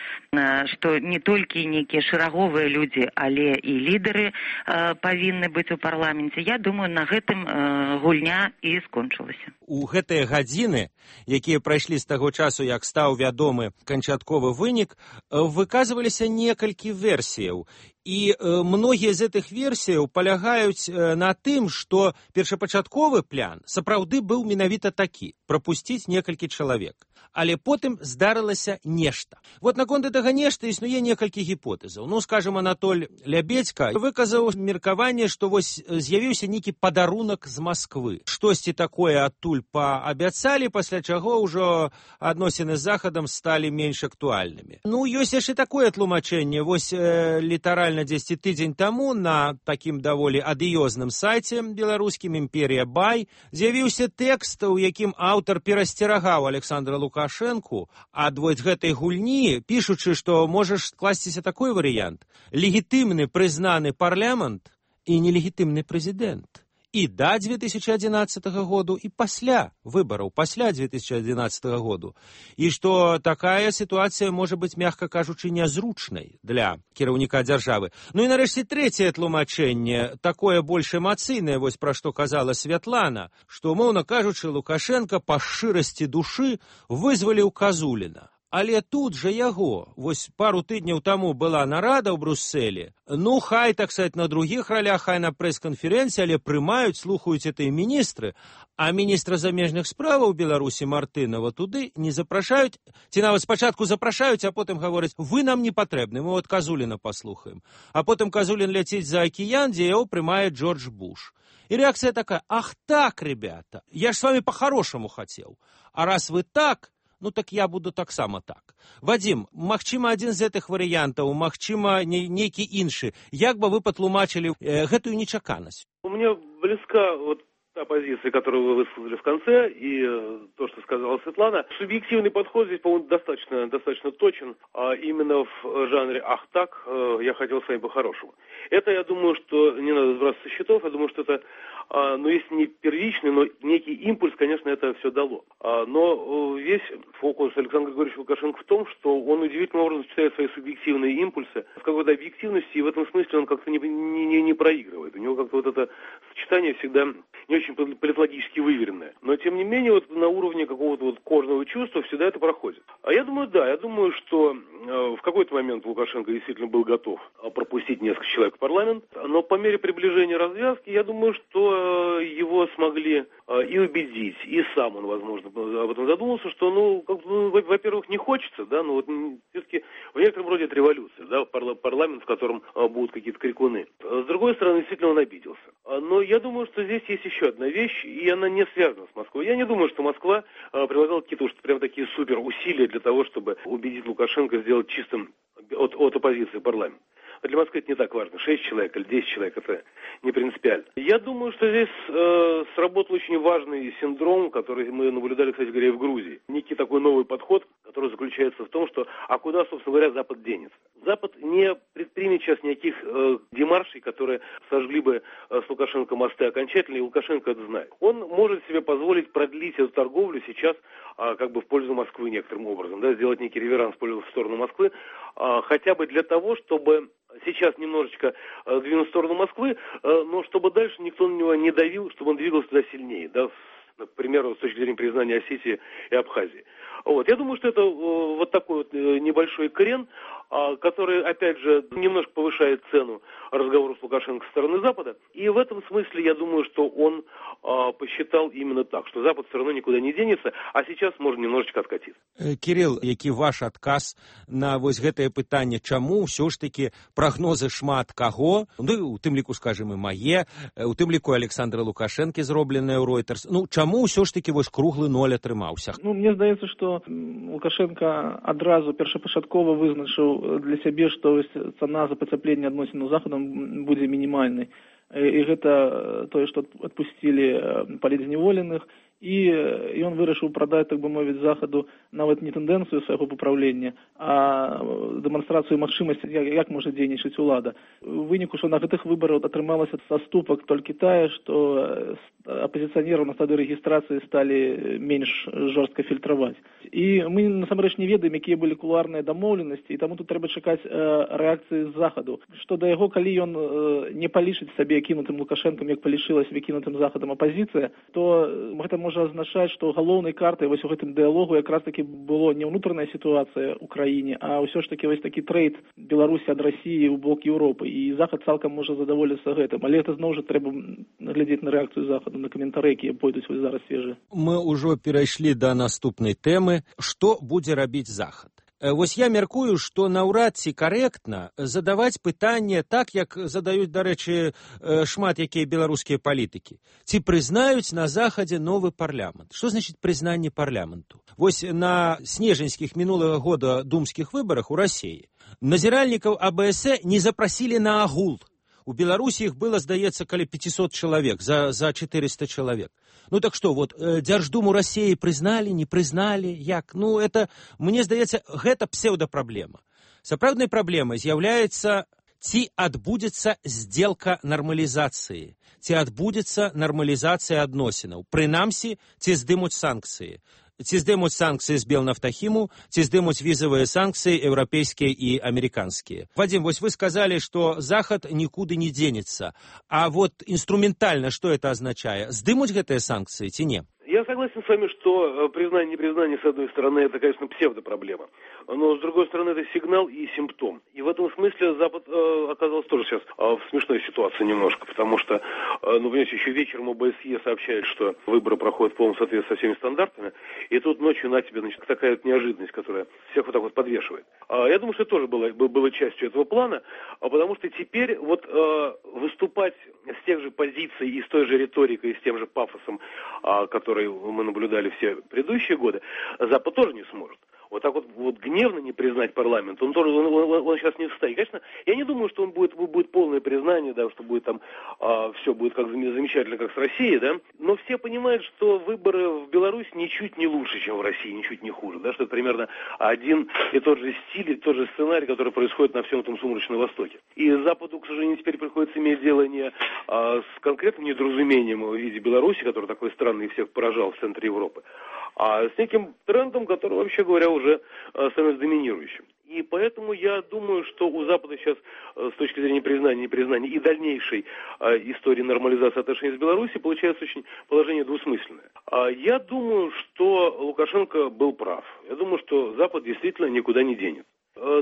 што не толькі нейкія шэраговыя людзі, але і лідары павінны быць у парламенце, я думаю, на гэтым гульня і скончылася. У гэтыя гадзіны, якія прайшлі з таго часу, як стаў вядомы канчатковы вынік, выказваліся некалькі версіяў. І многія з гэтых версіяў палягаюць на тым, што першапачатковы план сапраўды быў менавіта такі – прапусціць некалькі чалавек. Але потым здарылася нешта. Вот наконт гэтага нешта існуе некалькі гіпотэзаў. Ну, скажем, Анатоль Лябедзька выказаў меркаванне, што вось з'явіўся нейкі падарунак з Масквы. Штосьці такое адтуль паабяцалі, пасля чаго ўжо адносіны з Захадам сталі менш актуальнымі. Ну, ёсць яшчэ такое тлумачэнне. Вось літаральна 10 тыдзень таму на такім даволі адыёзным сайце беларускім «Імперія Бай» з'явіўся тэкст, у якім аўтар перасцерагаў Александра Лукашэнку ад вось гэтай гульні, пішучы, што можа скласціся такой варыянт: легітымны прызнаны парламент і нелегітымны прэзідэнт. І да 2011 году, і пасля выбараў, пасля 2011 году. І што такая сітуацыя можа быць, мякка кажучы, нязручнай для кіраўніка дзяржавы. Ну і нарэшце трэцяе тлумачэнне, такое больш эмацыйнае, вось пра што казала Святлана, што, умоўна кажучы, Лукашенка па шчырасці душы вызваліў Казуліна. Але тут жа яго, вось пару тыдняў таму была нарада ў Брюсселі, ну, хай, так сказать, на другіх ролях, хай на прэс-канферэнцыі, але прымаюць, слухаюць гэтыя міністры, а міністра замежных справаў Беларусі Мартынова туды не запрашаюць, ці нават спачатку запрашаюць, а потым гавораць, вы нам не патрэбны, мы от Казуліна паслухаем. А потым Казулін ляціць за акіян, дзе яго прымае Джордж Буш. И реакция такая: ах так, ребята, я ж с вами по-хорошему хотел, а раз вы так, ну так я буду таксама так. Вадим, магчыма, адзін з гэтых варыянтаў, магчыма, нейкі іншы. Як бы вы патлумачылі гэтую нечаканасць? Мне близка вот та позиция, которую вы высказали в конце, и то, что сказала Светлана. Субъективный подход здесь, по-моему, достаточно точен, а именно в жанре «ах так, я хотел с вами по-хорошему». Это, я думаю, что не надо сбрасывать со счетов, я думаю, что это, ну, если не первичный, но некий импульс, конечно, это все дало. Но весь фокус Александра Григорьевича Лукашенко в том, что он удивительным образом сочетает свои субъективные импульсы в какой-то объективности, и в этом смысле он как-то не проигрывает. У него как-то вот это сочетание всегда не очень политологически выверенное. Но, тем не менее, вот на уровне какого-то вот кожного чувства всегда это проходит. А я думаю, да, я думаю, что в какой-то момент Лукашенко действительно был готов пропустить несколько человек в парламент, но по мере приближения развязки, я думаю, что его смогли и убедить, и сам он, возможно, об этом задумался, что, во-первых, не хочется, да, но вот все-таки в некотором роде это революция, да, парламент, в котором будут какие-то крикуны. С другой стороны, действительно, он обиделся. Но я думаю, что здесь есть еще одна вещь, и она не связана с Москвой. Я не думаю, что Москва прилагала какие-то уж прям такие супер усилия для того, чтобы убедить Лукашенко сделать чистым от оппозиции парламент. Для Москвы это не так важно. 6 человек или 10 человек, это не принципиально. Я думаю, что здесь сработал очень важный синдром, который мы наблюдали, кстати говоря, и в Грузии. Некий такой новый подход, который заключается в том, что а куда, собственно говоря, Запад денется? Запад не предпримет сейчас никаких демаршей, которые сожгли бы с Лукашенко мосты окончательно, и Лукашенко это знает. Он может себе позволить продлить эту торговлю сейчас как бы в пользу Москвы некоторым образом, да, сделать некий реверанс в сторону Москвы, хотя бы для того, чтобы сейчас немножечко двинуть в сторону Москвы, но чтобы дальше никто на него не давил, чтобы он двигался туда сильнее, да, например, с точки зрения признания Осетии и Абхазии. Вот. Я думаю, что это вот такой вот небольшой крен, который, опять же, немножко повышает цену разговору с Лукашенко со стороны Запада. И в этом смысле я думаю, что он посчитал именно так, что Запад все равно никуда не денется, а сейчас можно немножечко откатиться. Кирилл, які ваш адказ на вось гэтае пытанне, чаму ўсё ж такі прагнозы шмат каго, ну, у тым ліку, скажем, і мае, у тым ліку Александра Лукашэнкі, зробленыя ў Reuters, ну, чаму ўсё ж такі вось круглы ноль атрымаўся? Ну, мне здаецца, што Лукашенко адразу першапачаткова вызначыў для сябе, што цана за пацяпленне адносін з Захадам будзе мінімальнай. І гэта тое, што адпусцілі палітзняволеных, і ён вырашыў прадаць, так бы мовіць, Захаду нават не тэндэнцыю свайго папраўлення, а дэманстрацыю магчымасці, як можа дзейнічаць улада. У выніку, што на гэтых выбарах атрымалася саступак толькі тая, што апазіцыянераў на стадыі рэгістрацыі сталі менш жорстка фільтраваць. І мы насамрэч не ведаем, якія былі кулуарныя дамоўленасці, і таму тут трэба чакаць рэакцыі з Захаду. Што да яго, калі ён не палічыць сабе кінутым Лукашэнкам, як палічылася выкінутым Захадам апазіцыя, то гэта можа азначаць, што галоўнай картай вось у гэтым дыялогу якраз таки было не ўнутраная сітуацыя ў краіне, а ўсё ж таки вось такі трэйд Беларусі ад Расіі ў бок Еўропы. І Захад цалкам можа задаволіцца гэтым. Але гэта зноў жа трэба глядзець на рэакцыю Захаду, на каментары, якія пойдуць вось зараз свежыя. Мы ўжо перайшлі да наступнай тэмы. Што будзе рабіць Захад? Вось я мяркую, што наўрад ці карэктна задаваць пытанне так, як задаюць, дарэчы, шмат якія беларускія палітыкі. Ці прызнаюць на Захадзе новы парламент? Што значыць прызнанне парламенту? Вось на снежаньскіх минулага года думскіх выбарах у Расіі назіральнікаў АБС не запрасілі на агул. У Беларусі іх было, здаецца, каля 500 чалавек, за 400 чалавек. Ну так што, вот, Дзярждуму Расіі прызналі, не прызналі, як? Ну, это, мне здаецца, гэта псеўдапраблема. Сапраўднай праблемай з'яўляецца, ці адбудзецца здзелка нармалізацыі, ці адбудзецца нармалізацыя адносінаў. Прынамсі, ці здымуць санкцыі. Ці здымуць санкцыі з Белнафтахіму, ці здымуць візавыя санкцыі еўрапейскія і амерыканскія. Вадим, вось вы сказалі, што Захад нікуды не дзенецца. А вот инструментально что это означает? Здымуць гэтыя санкцыі ці не? Я согласен с вами, что признание-непризнание, с одной стороны, это, конечно, псевдопроблема. Но, с другой стороны, это сигнал и симптом. И в этом смысле Запад оказался тоже сейчас в смешной ситуации немножко, потому что, ну, понимаете, еще вечером ОБСЕ сообщает, что выборы проходят в полном соответствии со всеми стандартами, и тут ночью на тебе, значит, такая вот неожиданность, которая всех вот так вот подвешивает. Я думаю, что это тоже было частью этого плана, потому что теперь вот выступать с тех же позиций и с той же риторикой, и с тем же пафосом, который мы наблюдали все предыдущие годы, Запад тоже не сможет. Вот так вот гневно не признать парламент, он сейчас не в состоянии. Конечно, я не думаю, что будет полное признание, да, что будет там все будет как замечательно, как с Россией, да. Но все понимают, что выборы в Беларуси ничуть не лучше, чем в России, ничуть не хуже, да, что это примерно один и тот же стиль, и тот же сценарий, который происходит на всем этом сумрачном Востоке. И Западу, к сожалению, теперь приходится иметь дело не с конкретным недоразумением в виде Беларуси, который такой странный и всех поражал в центре Европы, а с неким трендом, который, вообще говоря, уже становится доминирующим. И поэтому я думаю, что у Запада сейчас, с точки зрения признания, непризнания и дальнейшей истории нормализации отношений с Беларусью, получается очень положение двусмысленное. Я думаю, что Лукашенко был прав. Я думаю, что Запад действительно никуда не денет.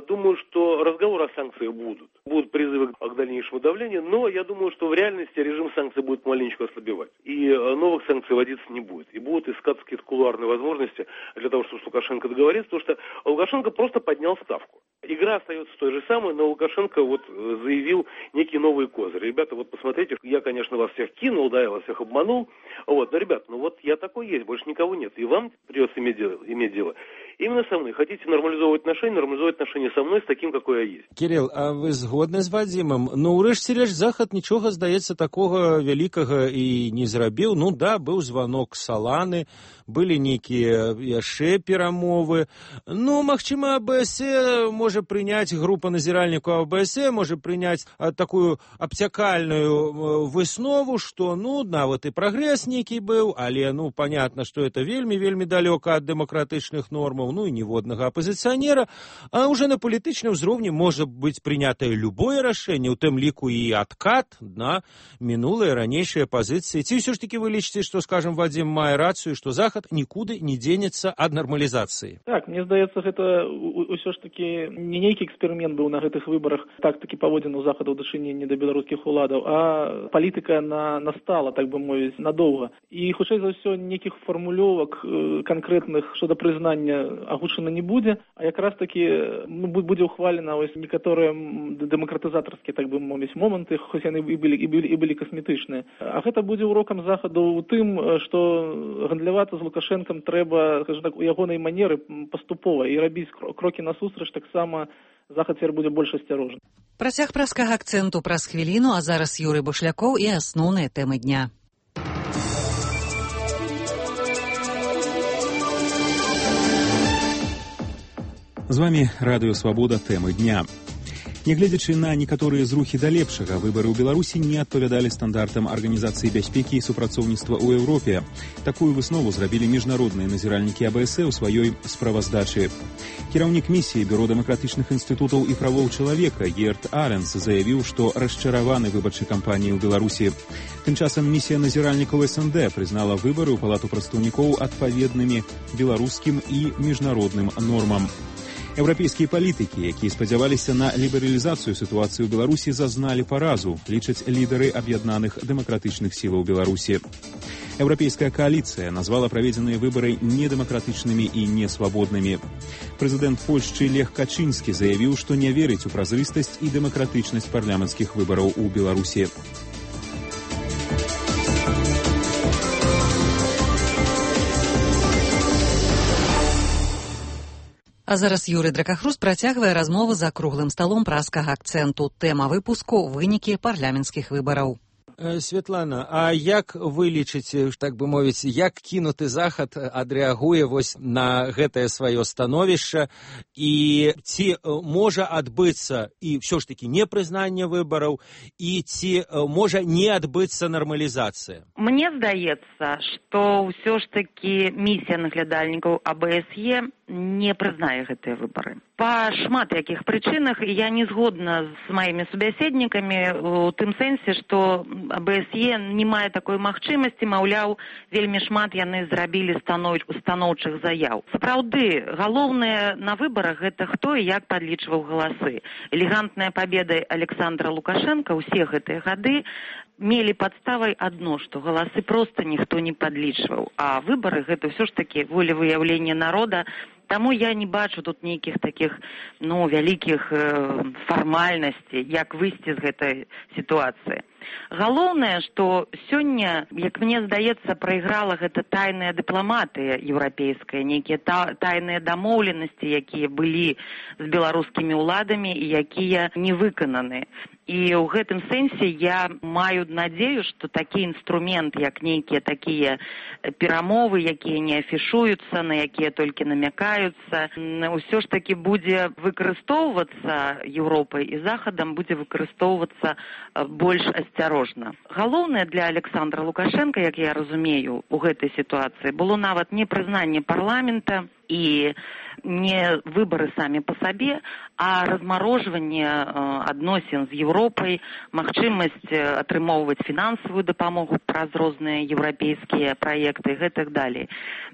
Думаю, что разговоры о санкциях будут. Будут призывы к дальнейшему давлению, но я думаю, что в реальности режим санкций будет маленечко ослабевать. И новых санкций вводиться не будет. И будут искаться какие-то кулуарные возможности для того, чтобы с Лукашенко договориться, потому что Лукашенко просто поднял ставку. Игра остается той же самой, но Лукашенко вот заявил некие новые козыри. Ребята, вот посмотрите, я, конечно, вас всех кинул, да, я вас всех обманул. Вот, но, ребят, ну вот я такой есть, больше никого нет. И вам придется иметь дело. Именно со мной. Хотите нормализовывать отношения со мной, с таким, какой я есть. Кирилл, а вы згодны з Вадзімам? Ну, урэшце рэч, Захад нічога, здаецца, такога вялікага і не зрабіў. Ну, да, быў званок Саланы, былі нейкія яшчэ перамовы. Ну, магчыма, АБС можа прыняць, група назіральнікаў АБС можа прыняць такую абцякальную выснову, што, ну, нават і прагрэс нейкі быў, але, ну, понятно, што это вельмі далёка ад дэмакратычных нормаў. рэжымаў, ну і ніводнага апазіцыянера, а ўжо на палітычным узроўні можа быць прынятае любое рашэнне, у тым ліку і адкат на мінулыя ранейшыя пазіцыі. Ці ўсё ж такі вы лічыце, што, скажам, Вадзім мае рацыю, што Захад нікуды не дзенецца ад нармалізацыі? Так, мне здаецца, гэта ўсё ж такі не нейкі эксперымент быў на гэтых выбарах, так такі паводзіны ў Захаду ў дачыненні да беларускіх уладаў, а палітыка настала, так бы мовіць, надоўга. І, хутчэй за ўсё, нейкіх фармулёвак канкрэтных щодо прызнання агучана не будзе, а якраз такі будзе ухвалена некаторыя дэмакратызатарскія, так бы мовіць, моманты, хоць яны і былі касметычныя. А гэта будзе урокам Захаду ў тым, што гандлявацца з Лукашэнкам трэба, скажем так, у ягонай манеры паступова і рабіць крокі насустрач, таксама Захад цяпер будзе больш асцярожны. Працяг прэскага акцэнту праз хвіліну, а зараз Юрый Бушлякоў і асноўныя тэмы дня. З вами Радыё Свабода, тэмы дня. Нягледзячы на некаторыя зрухі да лепшага, выбары ў Беларусі не адпавядалі стандартам Арганізацыі бяспекі і супрацоўніцтва ў Еўропе. Такую выснову зрабілі міжнародныя назіральнікі АБС у сваёй справаздачы. Кіраўнік місіі Бюро дэмакратычных інстытутаў і правоў чалавека Герт Аренс заявіў, што расчараваны выбарчай кампаніяй у Беларусі. Тым часам місія назіральнікаў СНД прызнала выбары ў Палату прадстаўнікоў адпаведнымі беларускім і міжнародным нормам. Еўрапейскія палітыкі, якія спадзяваліся на лібералізацыю сітуацыі ў Беларусі, зазналі паразу, лічаць лідары аб'яднаных дэмакратычных сілаў Беларусі. Еўрапейская кааліцыя назвала праведзеныя выбары недэмакратычнымі і несвабоднымі. Прэзідэнт Польшчы Лех Качынскі заявіў, што не верыць у празрыстасць і дэмакратычнасць парламенцкіх выбараў у Беларусі. А зараз Юрый Дракахрус працягвае размову за круглым сталом праскага акцэнту. Тэма выпуску – вынікі парламенцкіх выбараў. Светлана, а як вы лічыце, так бы мовіць, як кінуты Захад адрэагуе вось на гэтае сваё становішча, і ці можа адбыцца і ўсё ж такі непрызнанне выбараў, і ці можа не адбыцца нармалізацыя? Мне здаецца, што ўсё ж такі місія наглядальнікаў АБСЕ не прызнае гэтыя выбары. Па шмат якіх прычынах я не згодна з маімі субяседнікамі у тым сэнсе, што АБСЕ не мае такой магчымасці, маўляў, вельмі шмат яны зрабілі устаноўчых заяў. Сапраўды, галоўнае на выбарах гэта хто і як падлічваў галасы. Элегантная пабеда Александра Лукашенка ўсе гэтыя гады мелі падставай адно, што галасы проста ніхто не падлічваў, а выбары гэта ўсё ж такі волевыяўленне народа. Таму я не бачу тут нейкіх такіх, вялікіх фармальнасцей, як выйсці з гэтай сітуацыі. Галоўнае, што сёння, як мне здаецца, прайграла гэта тайная дыпламатыя еўрапейская, нейкія тайныя дамоўленасці, якія былі з беларускімі ўладамі і якія не выкананы. І ў гэтым сэнсе я маю надзею, што такі інструмент, як нейкія такія перамовы, якія не афішуюцца, на якія толькі намякаюцца, ўсё ж такі будзе выкарыстоўвацца Еўропай і Захадам, будзе выкарыстоўвацца больш асцярожна. Галоўнае для Александра Лукашенка, як я разумею, у гэтай сітуацыі было нават не прызнанне парламента і не выбары самі па сабе, а размарожванне адносін з Еўропай, магчымасць атрымоўваць фінансавую дапамогу праз розныя еўрапейскія праекты і гэтак далей.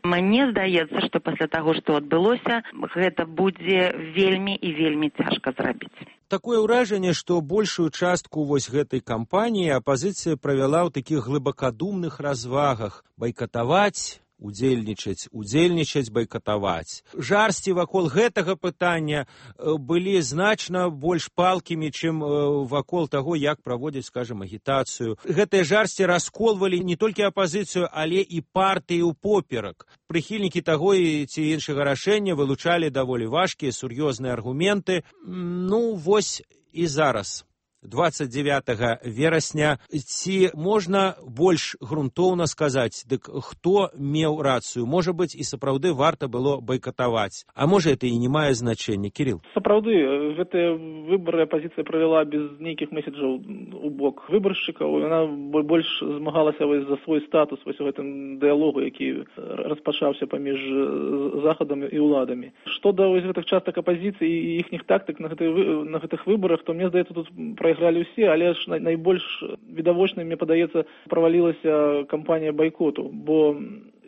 Мне здаецца, што пасля таго, што адбылося, гэта будзе вельмі і вельмі цяжка зрабіць. Такое ўражанне, што большую частку вось гэтай кампаніі апазіцыя правяла ў такіх глыбакадумных развагах: байкатаваць, удзельнічаць, байкатаваць. Жарсці вакол гэтага пытання былі значна больш палкімі, чым вакол таго, як праводзіць, скажам, агітацыю. Гэтыя жарсці расколвалі не толькі апазіцыю, але і партыю поперак. Прыхільнікі таго і ці іншага рашэння вылучалі даволі важкія, сур'ёзныя аргументы. Вось і зараз. 29 верасня. Ці можна больш грунтоўна сказаць, дык хто меў рацыю? Можа быць, і сапраўды варта было бойкатаваць. А можа, это і не мае значэння, Кирилл? Сапраўды, гэтыя выбары апазіцыя правяла без нейкіх месседжаў у бок выбаршчыкаў. Яна больш змагалася за свой статус вось у гэтым дыялогу, які распачаўся паміж захадам і ўладамі. Што да вось гэтых частак апазіцыі і іхніх тактык на гэтых выбарах, то мне здаецца, тут прайгралі ўсе, але ж найбольш відавочна, мне падаецца, правалілася кампанія байкоту, бо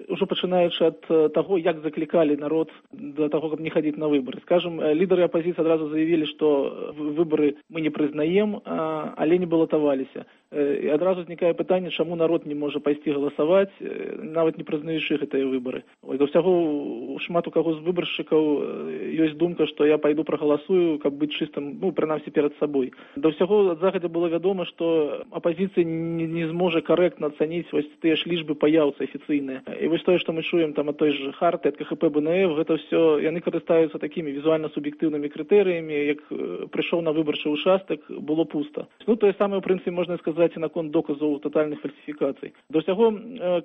ўжо пачынаючы ад таго, як заклікалі народ да таго, каб не хадзіць на выбары. Скажем, лідары апазіцыі адразу заявілі, што выбары мы не прызнаем, але не балатаваліся. І адразу узнікае пытанне, чаму народ не можа пайсці галасаваць, нават не прызнаючы гэтыя выбары. Да ўсяго шмат у каго з выбаршчыкаў ёсць думка, што я пайду прагаласую, каб быць чыстым, прынамсі перад сабой. Да ўсяго ад захадзя было вядома, што апазіцыя не зможа карэктна ацаніць вось тыя ж лічбы паяўцы афіцыйныя. І вось тое, што мы чуем там ад той же Харты, ад КХП БНФ, гэта ўсё, яны карыстаюцца такімі візуальна-суб'ектыўнымі крытэрыямі, як прыйшоў на выбарчы ўчастак, было пуста. Тое самае, ў прынцыпе, можна сказаць і наконт доказаў татальных фальсіфікацый. Да ўсяго,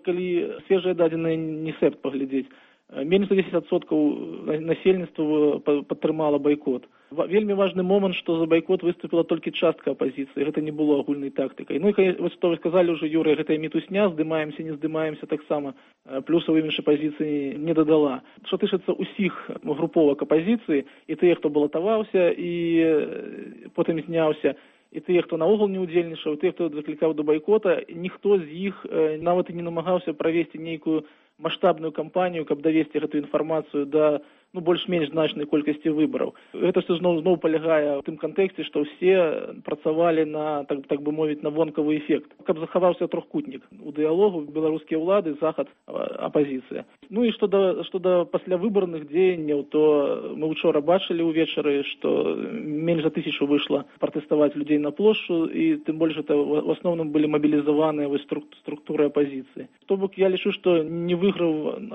калі свежыя дадзеныя НІСЭП паглядзець, менш за 10% насельніцтва падтрымала байкот. Вельмі важны момант, што за байкот выступіла толькі частка апазіцыі, гэта не было агульнай тактыкай. Ну і вось што вы сказалі ўжо, Юрый, гэтая мітусня, здымаемся, не здымаемся, таксама плюсаў імідж апазіцыі не дадала. Што тычыцца ўсіх груповак апазіцыі, і тыя, хто балатаваўся, і потым зняўся, і тыя, хто наогул не ўдзельнічаў, і тыя, хто заклікаў да байкота, ніхто з іх нават і не намагаўся правесці нейкую маштабную кампанію, каб давесці гэту інфармацыю да больш-менш значнай колькасці выбараў. Гэта все зноў палягае ў тым кантэксце, што ўсе працавалі на, так бы мовіць, на вонкавы эфект. Каб захаваўся трохкутнік у дыялогу беларускія ўлады, захад, апазіцыя. Ну і што да паслявыбарных дзеянняў, то мы учора бачылі ўвечары, што менш за 1000 выйшла пратэставаць людзей на плошчу, і тым больш гэта в асноўным былі мабілізаваныя структуры апазіцыі. То бок я лічу, што не выйграў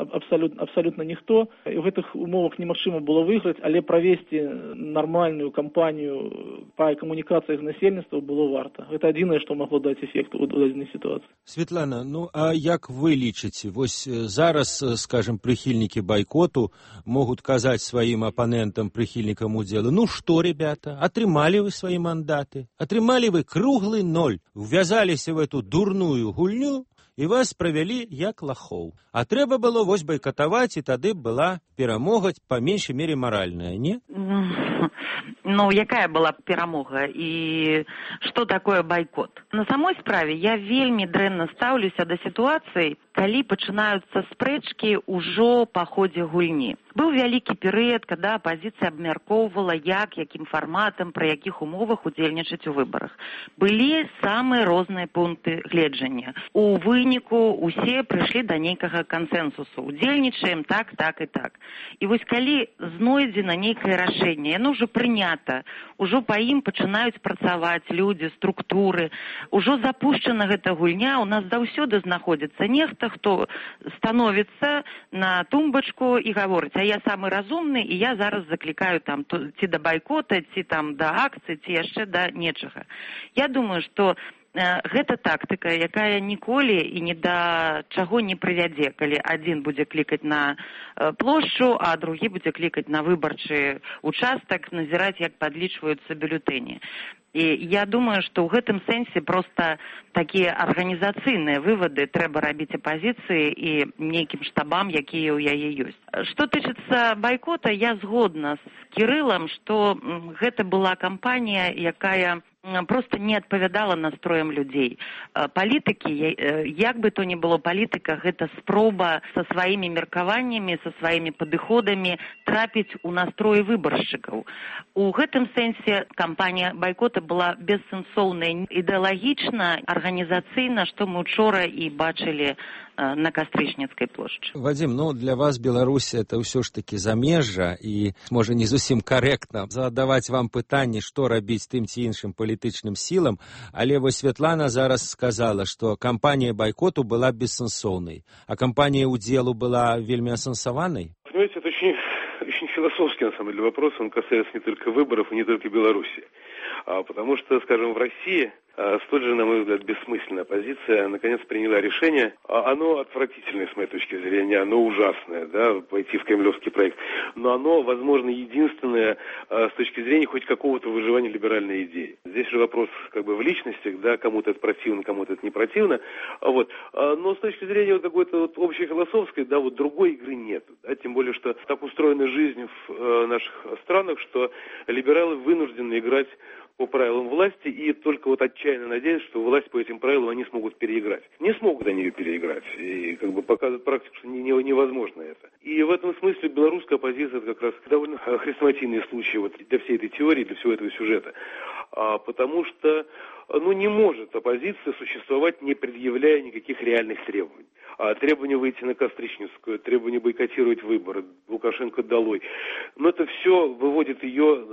абсалютна ніхто, і ў гэтых умовах немагчыма было выйграць, але правесці нармальную кампанію па камунікацыях з насельніцтвам было варта. Гэта адзінае, што магло даць эфект у дадзенай сітуацыі. Светлана, а як вы лічыце? Вось зараз, скажем, прыхільнікі байкоту могуць казаць сваім апанентам, прыхільнікам удзелу: ну што, ребята, атрымалі вы свае мандаты, атрымалі вы круглы ноль, увязаліся в эту дурную гульню, і вас правялі як лахоў. А трэба было вось байкатаваць, і тады была перамога, па меншай мере, маральная, не? Ну, якая была перамога і што такое байкот? На самой справе я вельмі дрэнна стаўлюся да сітуацыі, калі пачынаюцца спрэчкі ўжо па ходзе гульні. Быў вялікі перыяд, када апазіцыя абмяркоўвала, якім фарматам, пры якіх умовах удзельнічаць у выбарах. Былі самыя розныя пункты гледжання. У выніку усе прыйшлі да нейкага кансэнсусу. Удзельнічаем так, так і так. І вось калі знойдзена нейкае рашэнне, яно ўжо прынята, ужо па ім пачынаюць працаваць людзі, структуры, ужо запушчана гэта гульня, у нас заўсёды знаходзіцца нехта, хто становіцца на тумбачку і гаворыць: а я самы разумны, і я зараз заклікаю там ці да байкота, ці там да акцыі, ці яшчэ да нечага. Я думаю, што гэта тактыка, якая ніколі і ні да чаго не прывядзе, калі адзін будзе клікаць на плошчу, а другі будзе клікаць на выбарчы участак, назіраць, як падлічваюцца бюлетэні. І я думаю, што ў гэтым сэнсе проста такія арганізацыйныя вывады трэба рабіць апазіцыі і нейкім штабам, якія ў яе ёсць. Што тычыцца байкота, я згодна з Кірылам, што гэта была кампанія, якая просто не адпавядала настроям людзей. Палітыкі, як бы то ни было, палітыка — гэта спроба са сваімі меркаваннямі, са сваімі падыходамі трапіць у настроі выбаршчыкаў. У гэтым сэнсе кампанія байкота была бессэнсоўнай ідэалагічна, арганізацыйна, што мы учора і бачылі на Кастрычніцкай плошчы. Вадзім, для вас Беларусь — это ўсё ж такі замежжа, і можа не зусім карэктна задаваць вам пытанне, што рабіць тым ці іншым палітычным сілам, але вось Светлана зараз сказала, што кампанія байкоту была бессэнсоўнай, а кампанія удзелу была вельмі асэнсаванай? Понимаете, это очень философский, на самом деле, вопрос, он касается не только выборов и не только Беларуси. Потому что, скажем, в России столь же, на мой взгляд, бессмысленная оппозиция наконец приняла решение. Оно отвратительное, с моей точки зрения, оно ужасное, да, пойти в кремлевский проект. Но оно, возможно, единственное с точки зрения хоть какого-то выживания либеральной идеи. Здесь же вопрос как бы в личностях, да, кому-то это противно, кому-то это не противно. Вот. Но с точки зрения вот какой-то вот общефилософской, да, вот другой игры нет. Да, тем более, что так устроена жизнь в наших странах, что либералы вынуждены играть по правилам власти и только вот отчаянно надеются, что власть по этим правилам они смогут переиграть. Не смогут они ее переиграть. И как бы показывает практику, что невозможно это. И в этом смысле белорусская оппозиция это как раз довольно хрестоматийный случай вот для всей этой теории, для всего этого сюжета. Потому что не может оппозиция существовать, не предъявляя никаких реальных требований. Требование выйти на Костричницкую, требование бойкотировать выборы, Лукашенко долой. Но это все выводит ее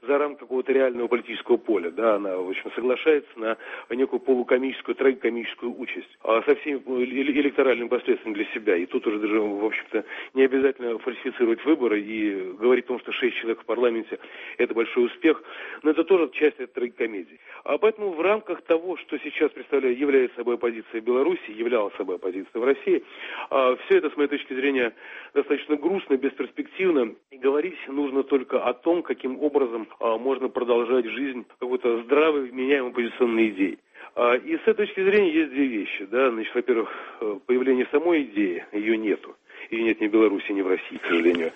за рамки какого-то реального политического поля. Да? Она, в общем, соглашается на некую полукомическую, трагикомическую участь со всеми электоральными последствиями для себя. И тут уже даже, в общем-то, не обязательно фальсифицировать выборы и говорить о том, что 6 человек в парламенте – это большой успех. Но это тоже часть этой трагикомедии. Поэтому в рамках того, что сейчас является собой оппозиция Беларуси, являлась собой оппозиция в России, все это, с моей точки зрения, достаточно грустно, бесперспективно. И говорить нужно только о том, каким образом можно продолжать жизнь какой-то здравой, вменяемой оппозиционной идеи. И с этой точки зрения есть две вещи. Да? Значит, во-первых, появление самой идеи, ее нету. Ее нет ни в Беларуси, ни в России, к сожалению.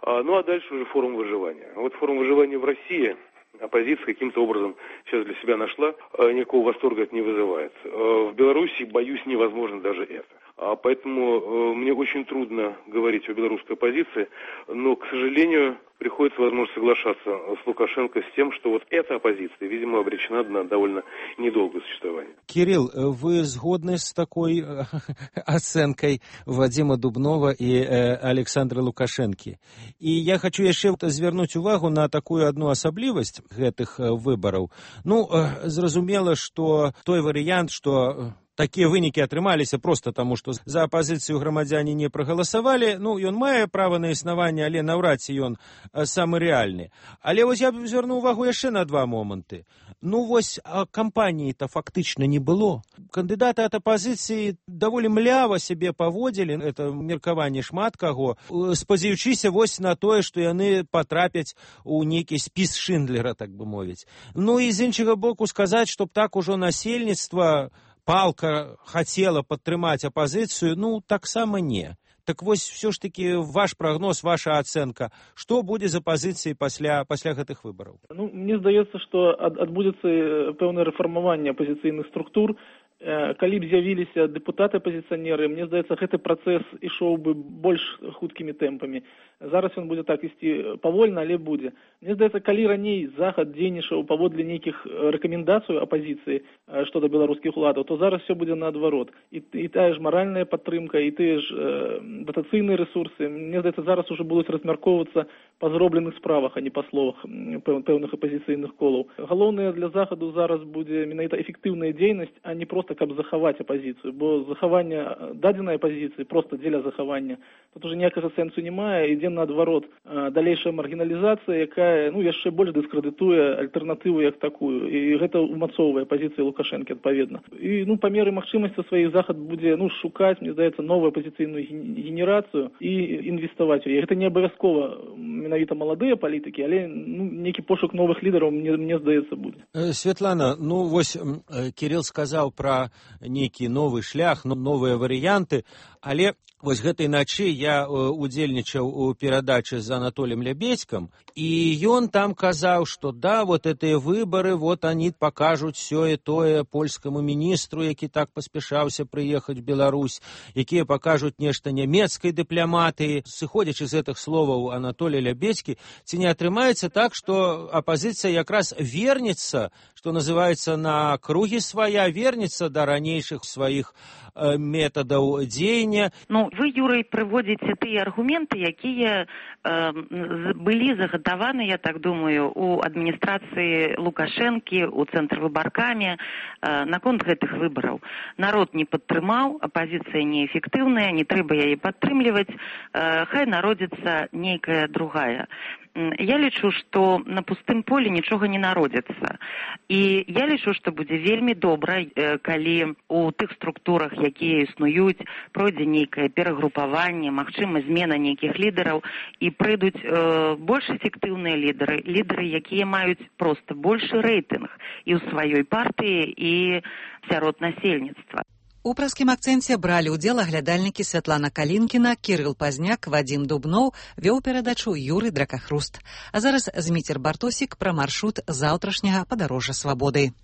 А дальше уже форум выживания. Вот форум выживания в России оппозиция каким-то образом сейчас для себя нашла, никакого восторга это не вызывает. В Беларуси, боюсь, невозможно даже это. Поэтому мне очень трудно говорить о белорусской оппозиции, но, к сожалению, приходится, возможно, соглашаться с Лукашенко с тем, что вот эта оппозиция, видимо, обречена на довольно недолгое существование. Кирилл, вы згодны с такой оценкой Вадима Дубнова и Александра Лукашенки? И я хочу яшчэ звярнуць увагу на такую одну асаблівасць гэтых выбараў. Зразумела, што той варыянт, што такія вынікі атрымаліся проста таму, што за апазіцыю грамадзяне не прагаласавалі. Ён мае права на існаванне, але наўрад ці ён самы рэальны. Але вось я б звярнуў увагу яшчэ на два моманты. Кампаніі-то фактычна не было. Кандыдаты ад апазіцыі даволі млява сябе паводзілі, это меркаванне шмат каго, спадзяючыся вось на тое, што яны патрапяць у нейкі спіс Шиндлера, так бы мовіць. І з іншага боку сказаць, што так ужо насельніцтва палка хацела падтрымаць апазіцыю, таксама не. Так вось, все ж таки, ваш прагноз, ваша ацэнка, што будзе з апазіцыяй пасля гэтых выбараў? Мне здаецца, што адбудзецца пэўнае рэфармаванне апазіцыйных структур. Калі б з'явіліся дэпутаты-апазіцыянеры, мне здаецца, гэты працэс ішоў бы больш хуткімі тэмпамі. Зараз ён будзе так ісці павольна, але будзе. Мне здаецца, калі раней Захад дзейнічаў паводле нейкіх рэкамендацый апазіцыі што да беларускіх уладаў, то зараз все будзе наадварот. І тая ж маральная падтрымка, і тыя ж датацыйныя рэсурсы, мне здаецца, зараз уже будуць размяркоўвацца па зробленых справах, а не па словах пэўных апазіцыйных колаў. Галоўнае для Захаду зараз будзе менавіта эфектыўная дзейнасць, а не проста каб захаваць апазіцыю, бо захаванне дадзенай апазіцыі проста дзеля захавання тут уже ніякага сэнсу не мае, ідзе наадварот далейшая маргіналізацыя, якая яшчэ больш дыскрэдытуе альтэрнатыву як такую, і гэта умацоўвае пазіцыі Лукашэнкі адпаведна. І па меры магчымасці сваіх Захад будзе шукаць, мне здаецца, новую апазіцыйную генерацыю і інвеставаць у яе. Гэта не абавязкова менавіта маладыя палітыкі, але нейкі пошук новых лідараў, мне здаецца, будзе. Светлана, вось Кирилл сказаў пра нейкі новы шлях, новыя варыянты, але вось гэтай начы я удзельнічаў у перадачы з Анатолием Лябедзькам, і ён там казаў, што вот этыя выбары, они пакажуць сёе-тое польскаму міністру, які так паспяшаўся прыехаць в Беларусь, якія пакажуць нешта нямецкай дыпламатыі. Сыходзячы з гэтых словаў Анатолия Лябедзькі, ці не атрымаецца так, што апазіцыя якраз вернецца, што называецца, на кругі свая, вернецца да ранейшых сваіх метадаў дзеяння. Вы, Юрый, прыводзіце тыя аргументы, якія былі загатаваны, я так думаю, у адміністрацыі Лукашэнкі, у цэнтрвыбаркаме наконт гэтых выбараў. Народ не падтрымаў, апазіцыя неэфектыўная, не трэба яе падтрымліваць, хай народзіцца нейкая другая. я лічу, што на пустым полі нічога не народзіцца. І я лічу, што будзе вельмі добра, калі у тых структурах, якія існуюць, пройдзе нейкае перагрупаванне, магчыма, змена нейкіх лідараў, і прыйдуць больш эфектыўныя лідары, якія маюць проста большы рэйтынг і ў сваёй партыі, і сярод насельніцтва. У праскім акцэнце бралі ўдзел аглядальнікі Святлана Калінкіна, Кірыл Пазняк, Вадзім Дубноў, вёў перадачу Юрый Дракахруст. А зараз Зміцер Бартосік пра маршрут заўтрашняга падарожжа свабоды.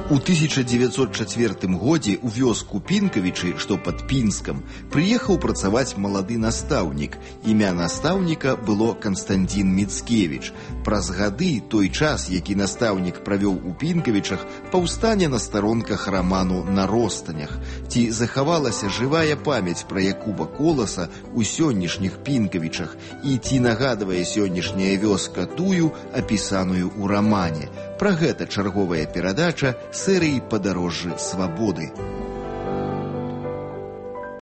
У 1904 годзе ў вёску Пінкавічы, што пад Пінскам, прыехаў працаваць малады настаўнік. Імя настаўніка было Канстантін Міцкевіч. Праз гады той час, які настаўнік правёў у Пінкавічах, паўстане на старонках раману «На ростанях». Ці захавалася жывая памяць пра Якуба Коласа ў сённяшніх Пінкавічах, і ці нагадвае сённяшняя вёска тую, апісаную ў рамане. Пра гэта чарговая перадача серыі «Падарожжы свабоды».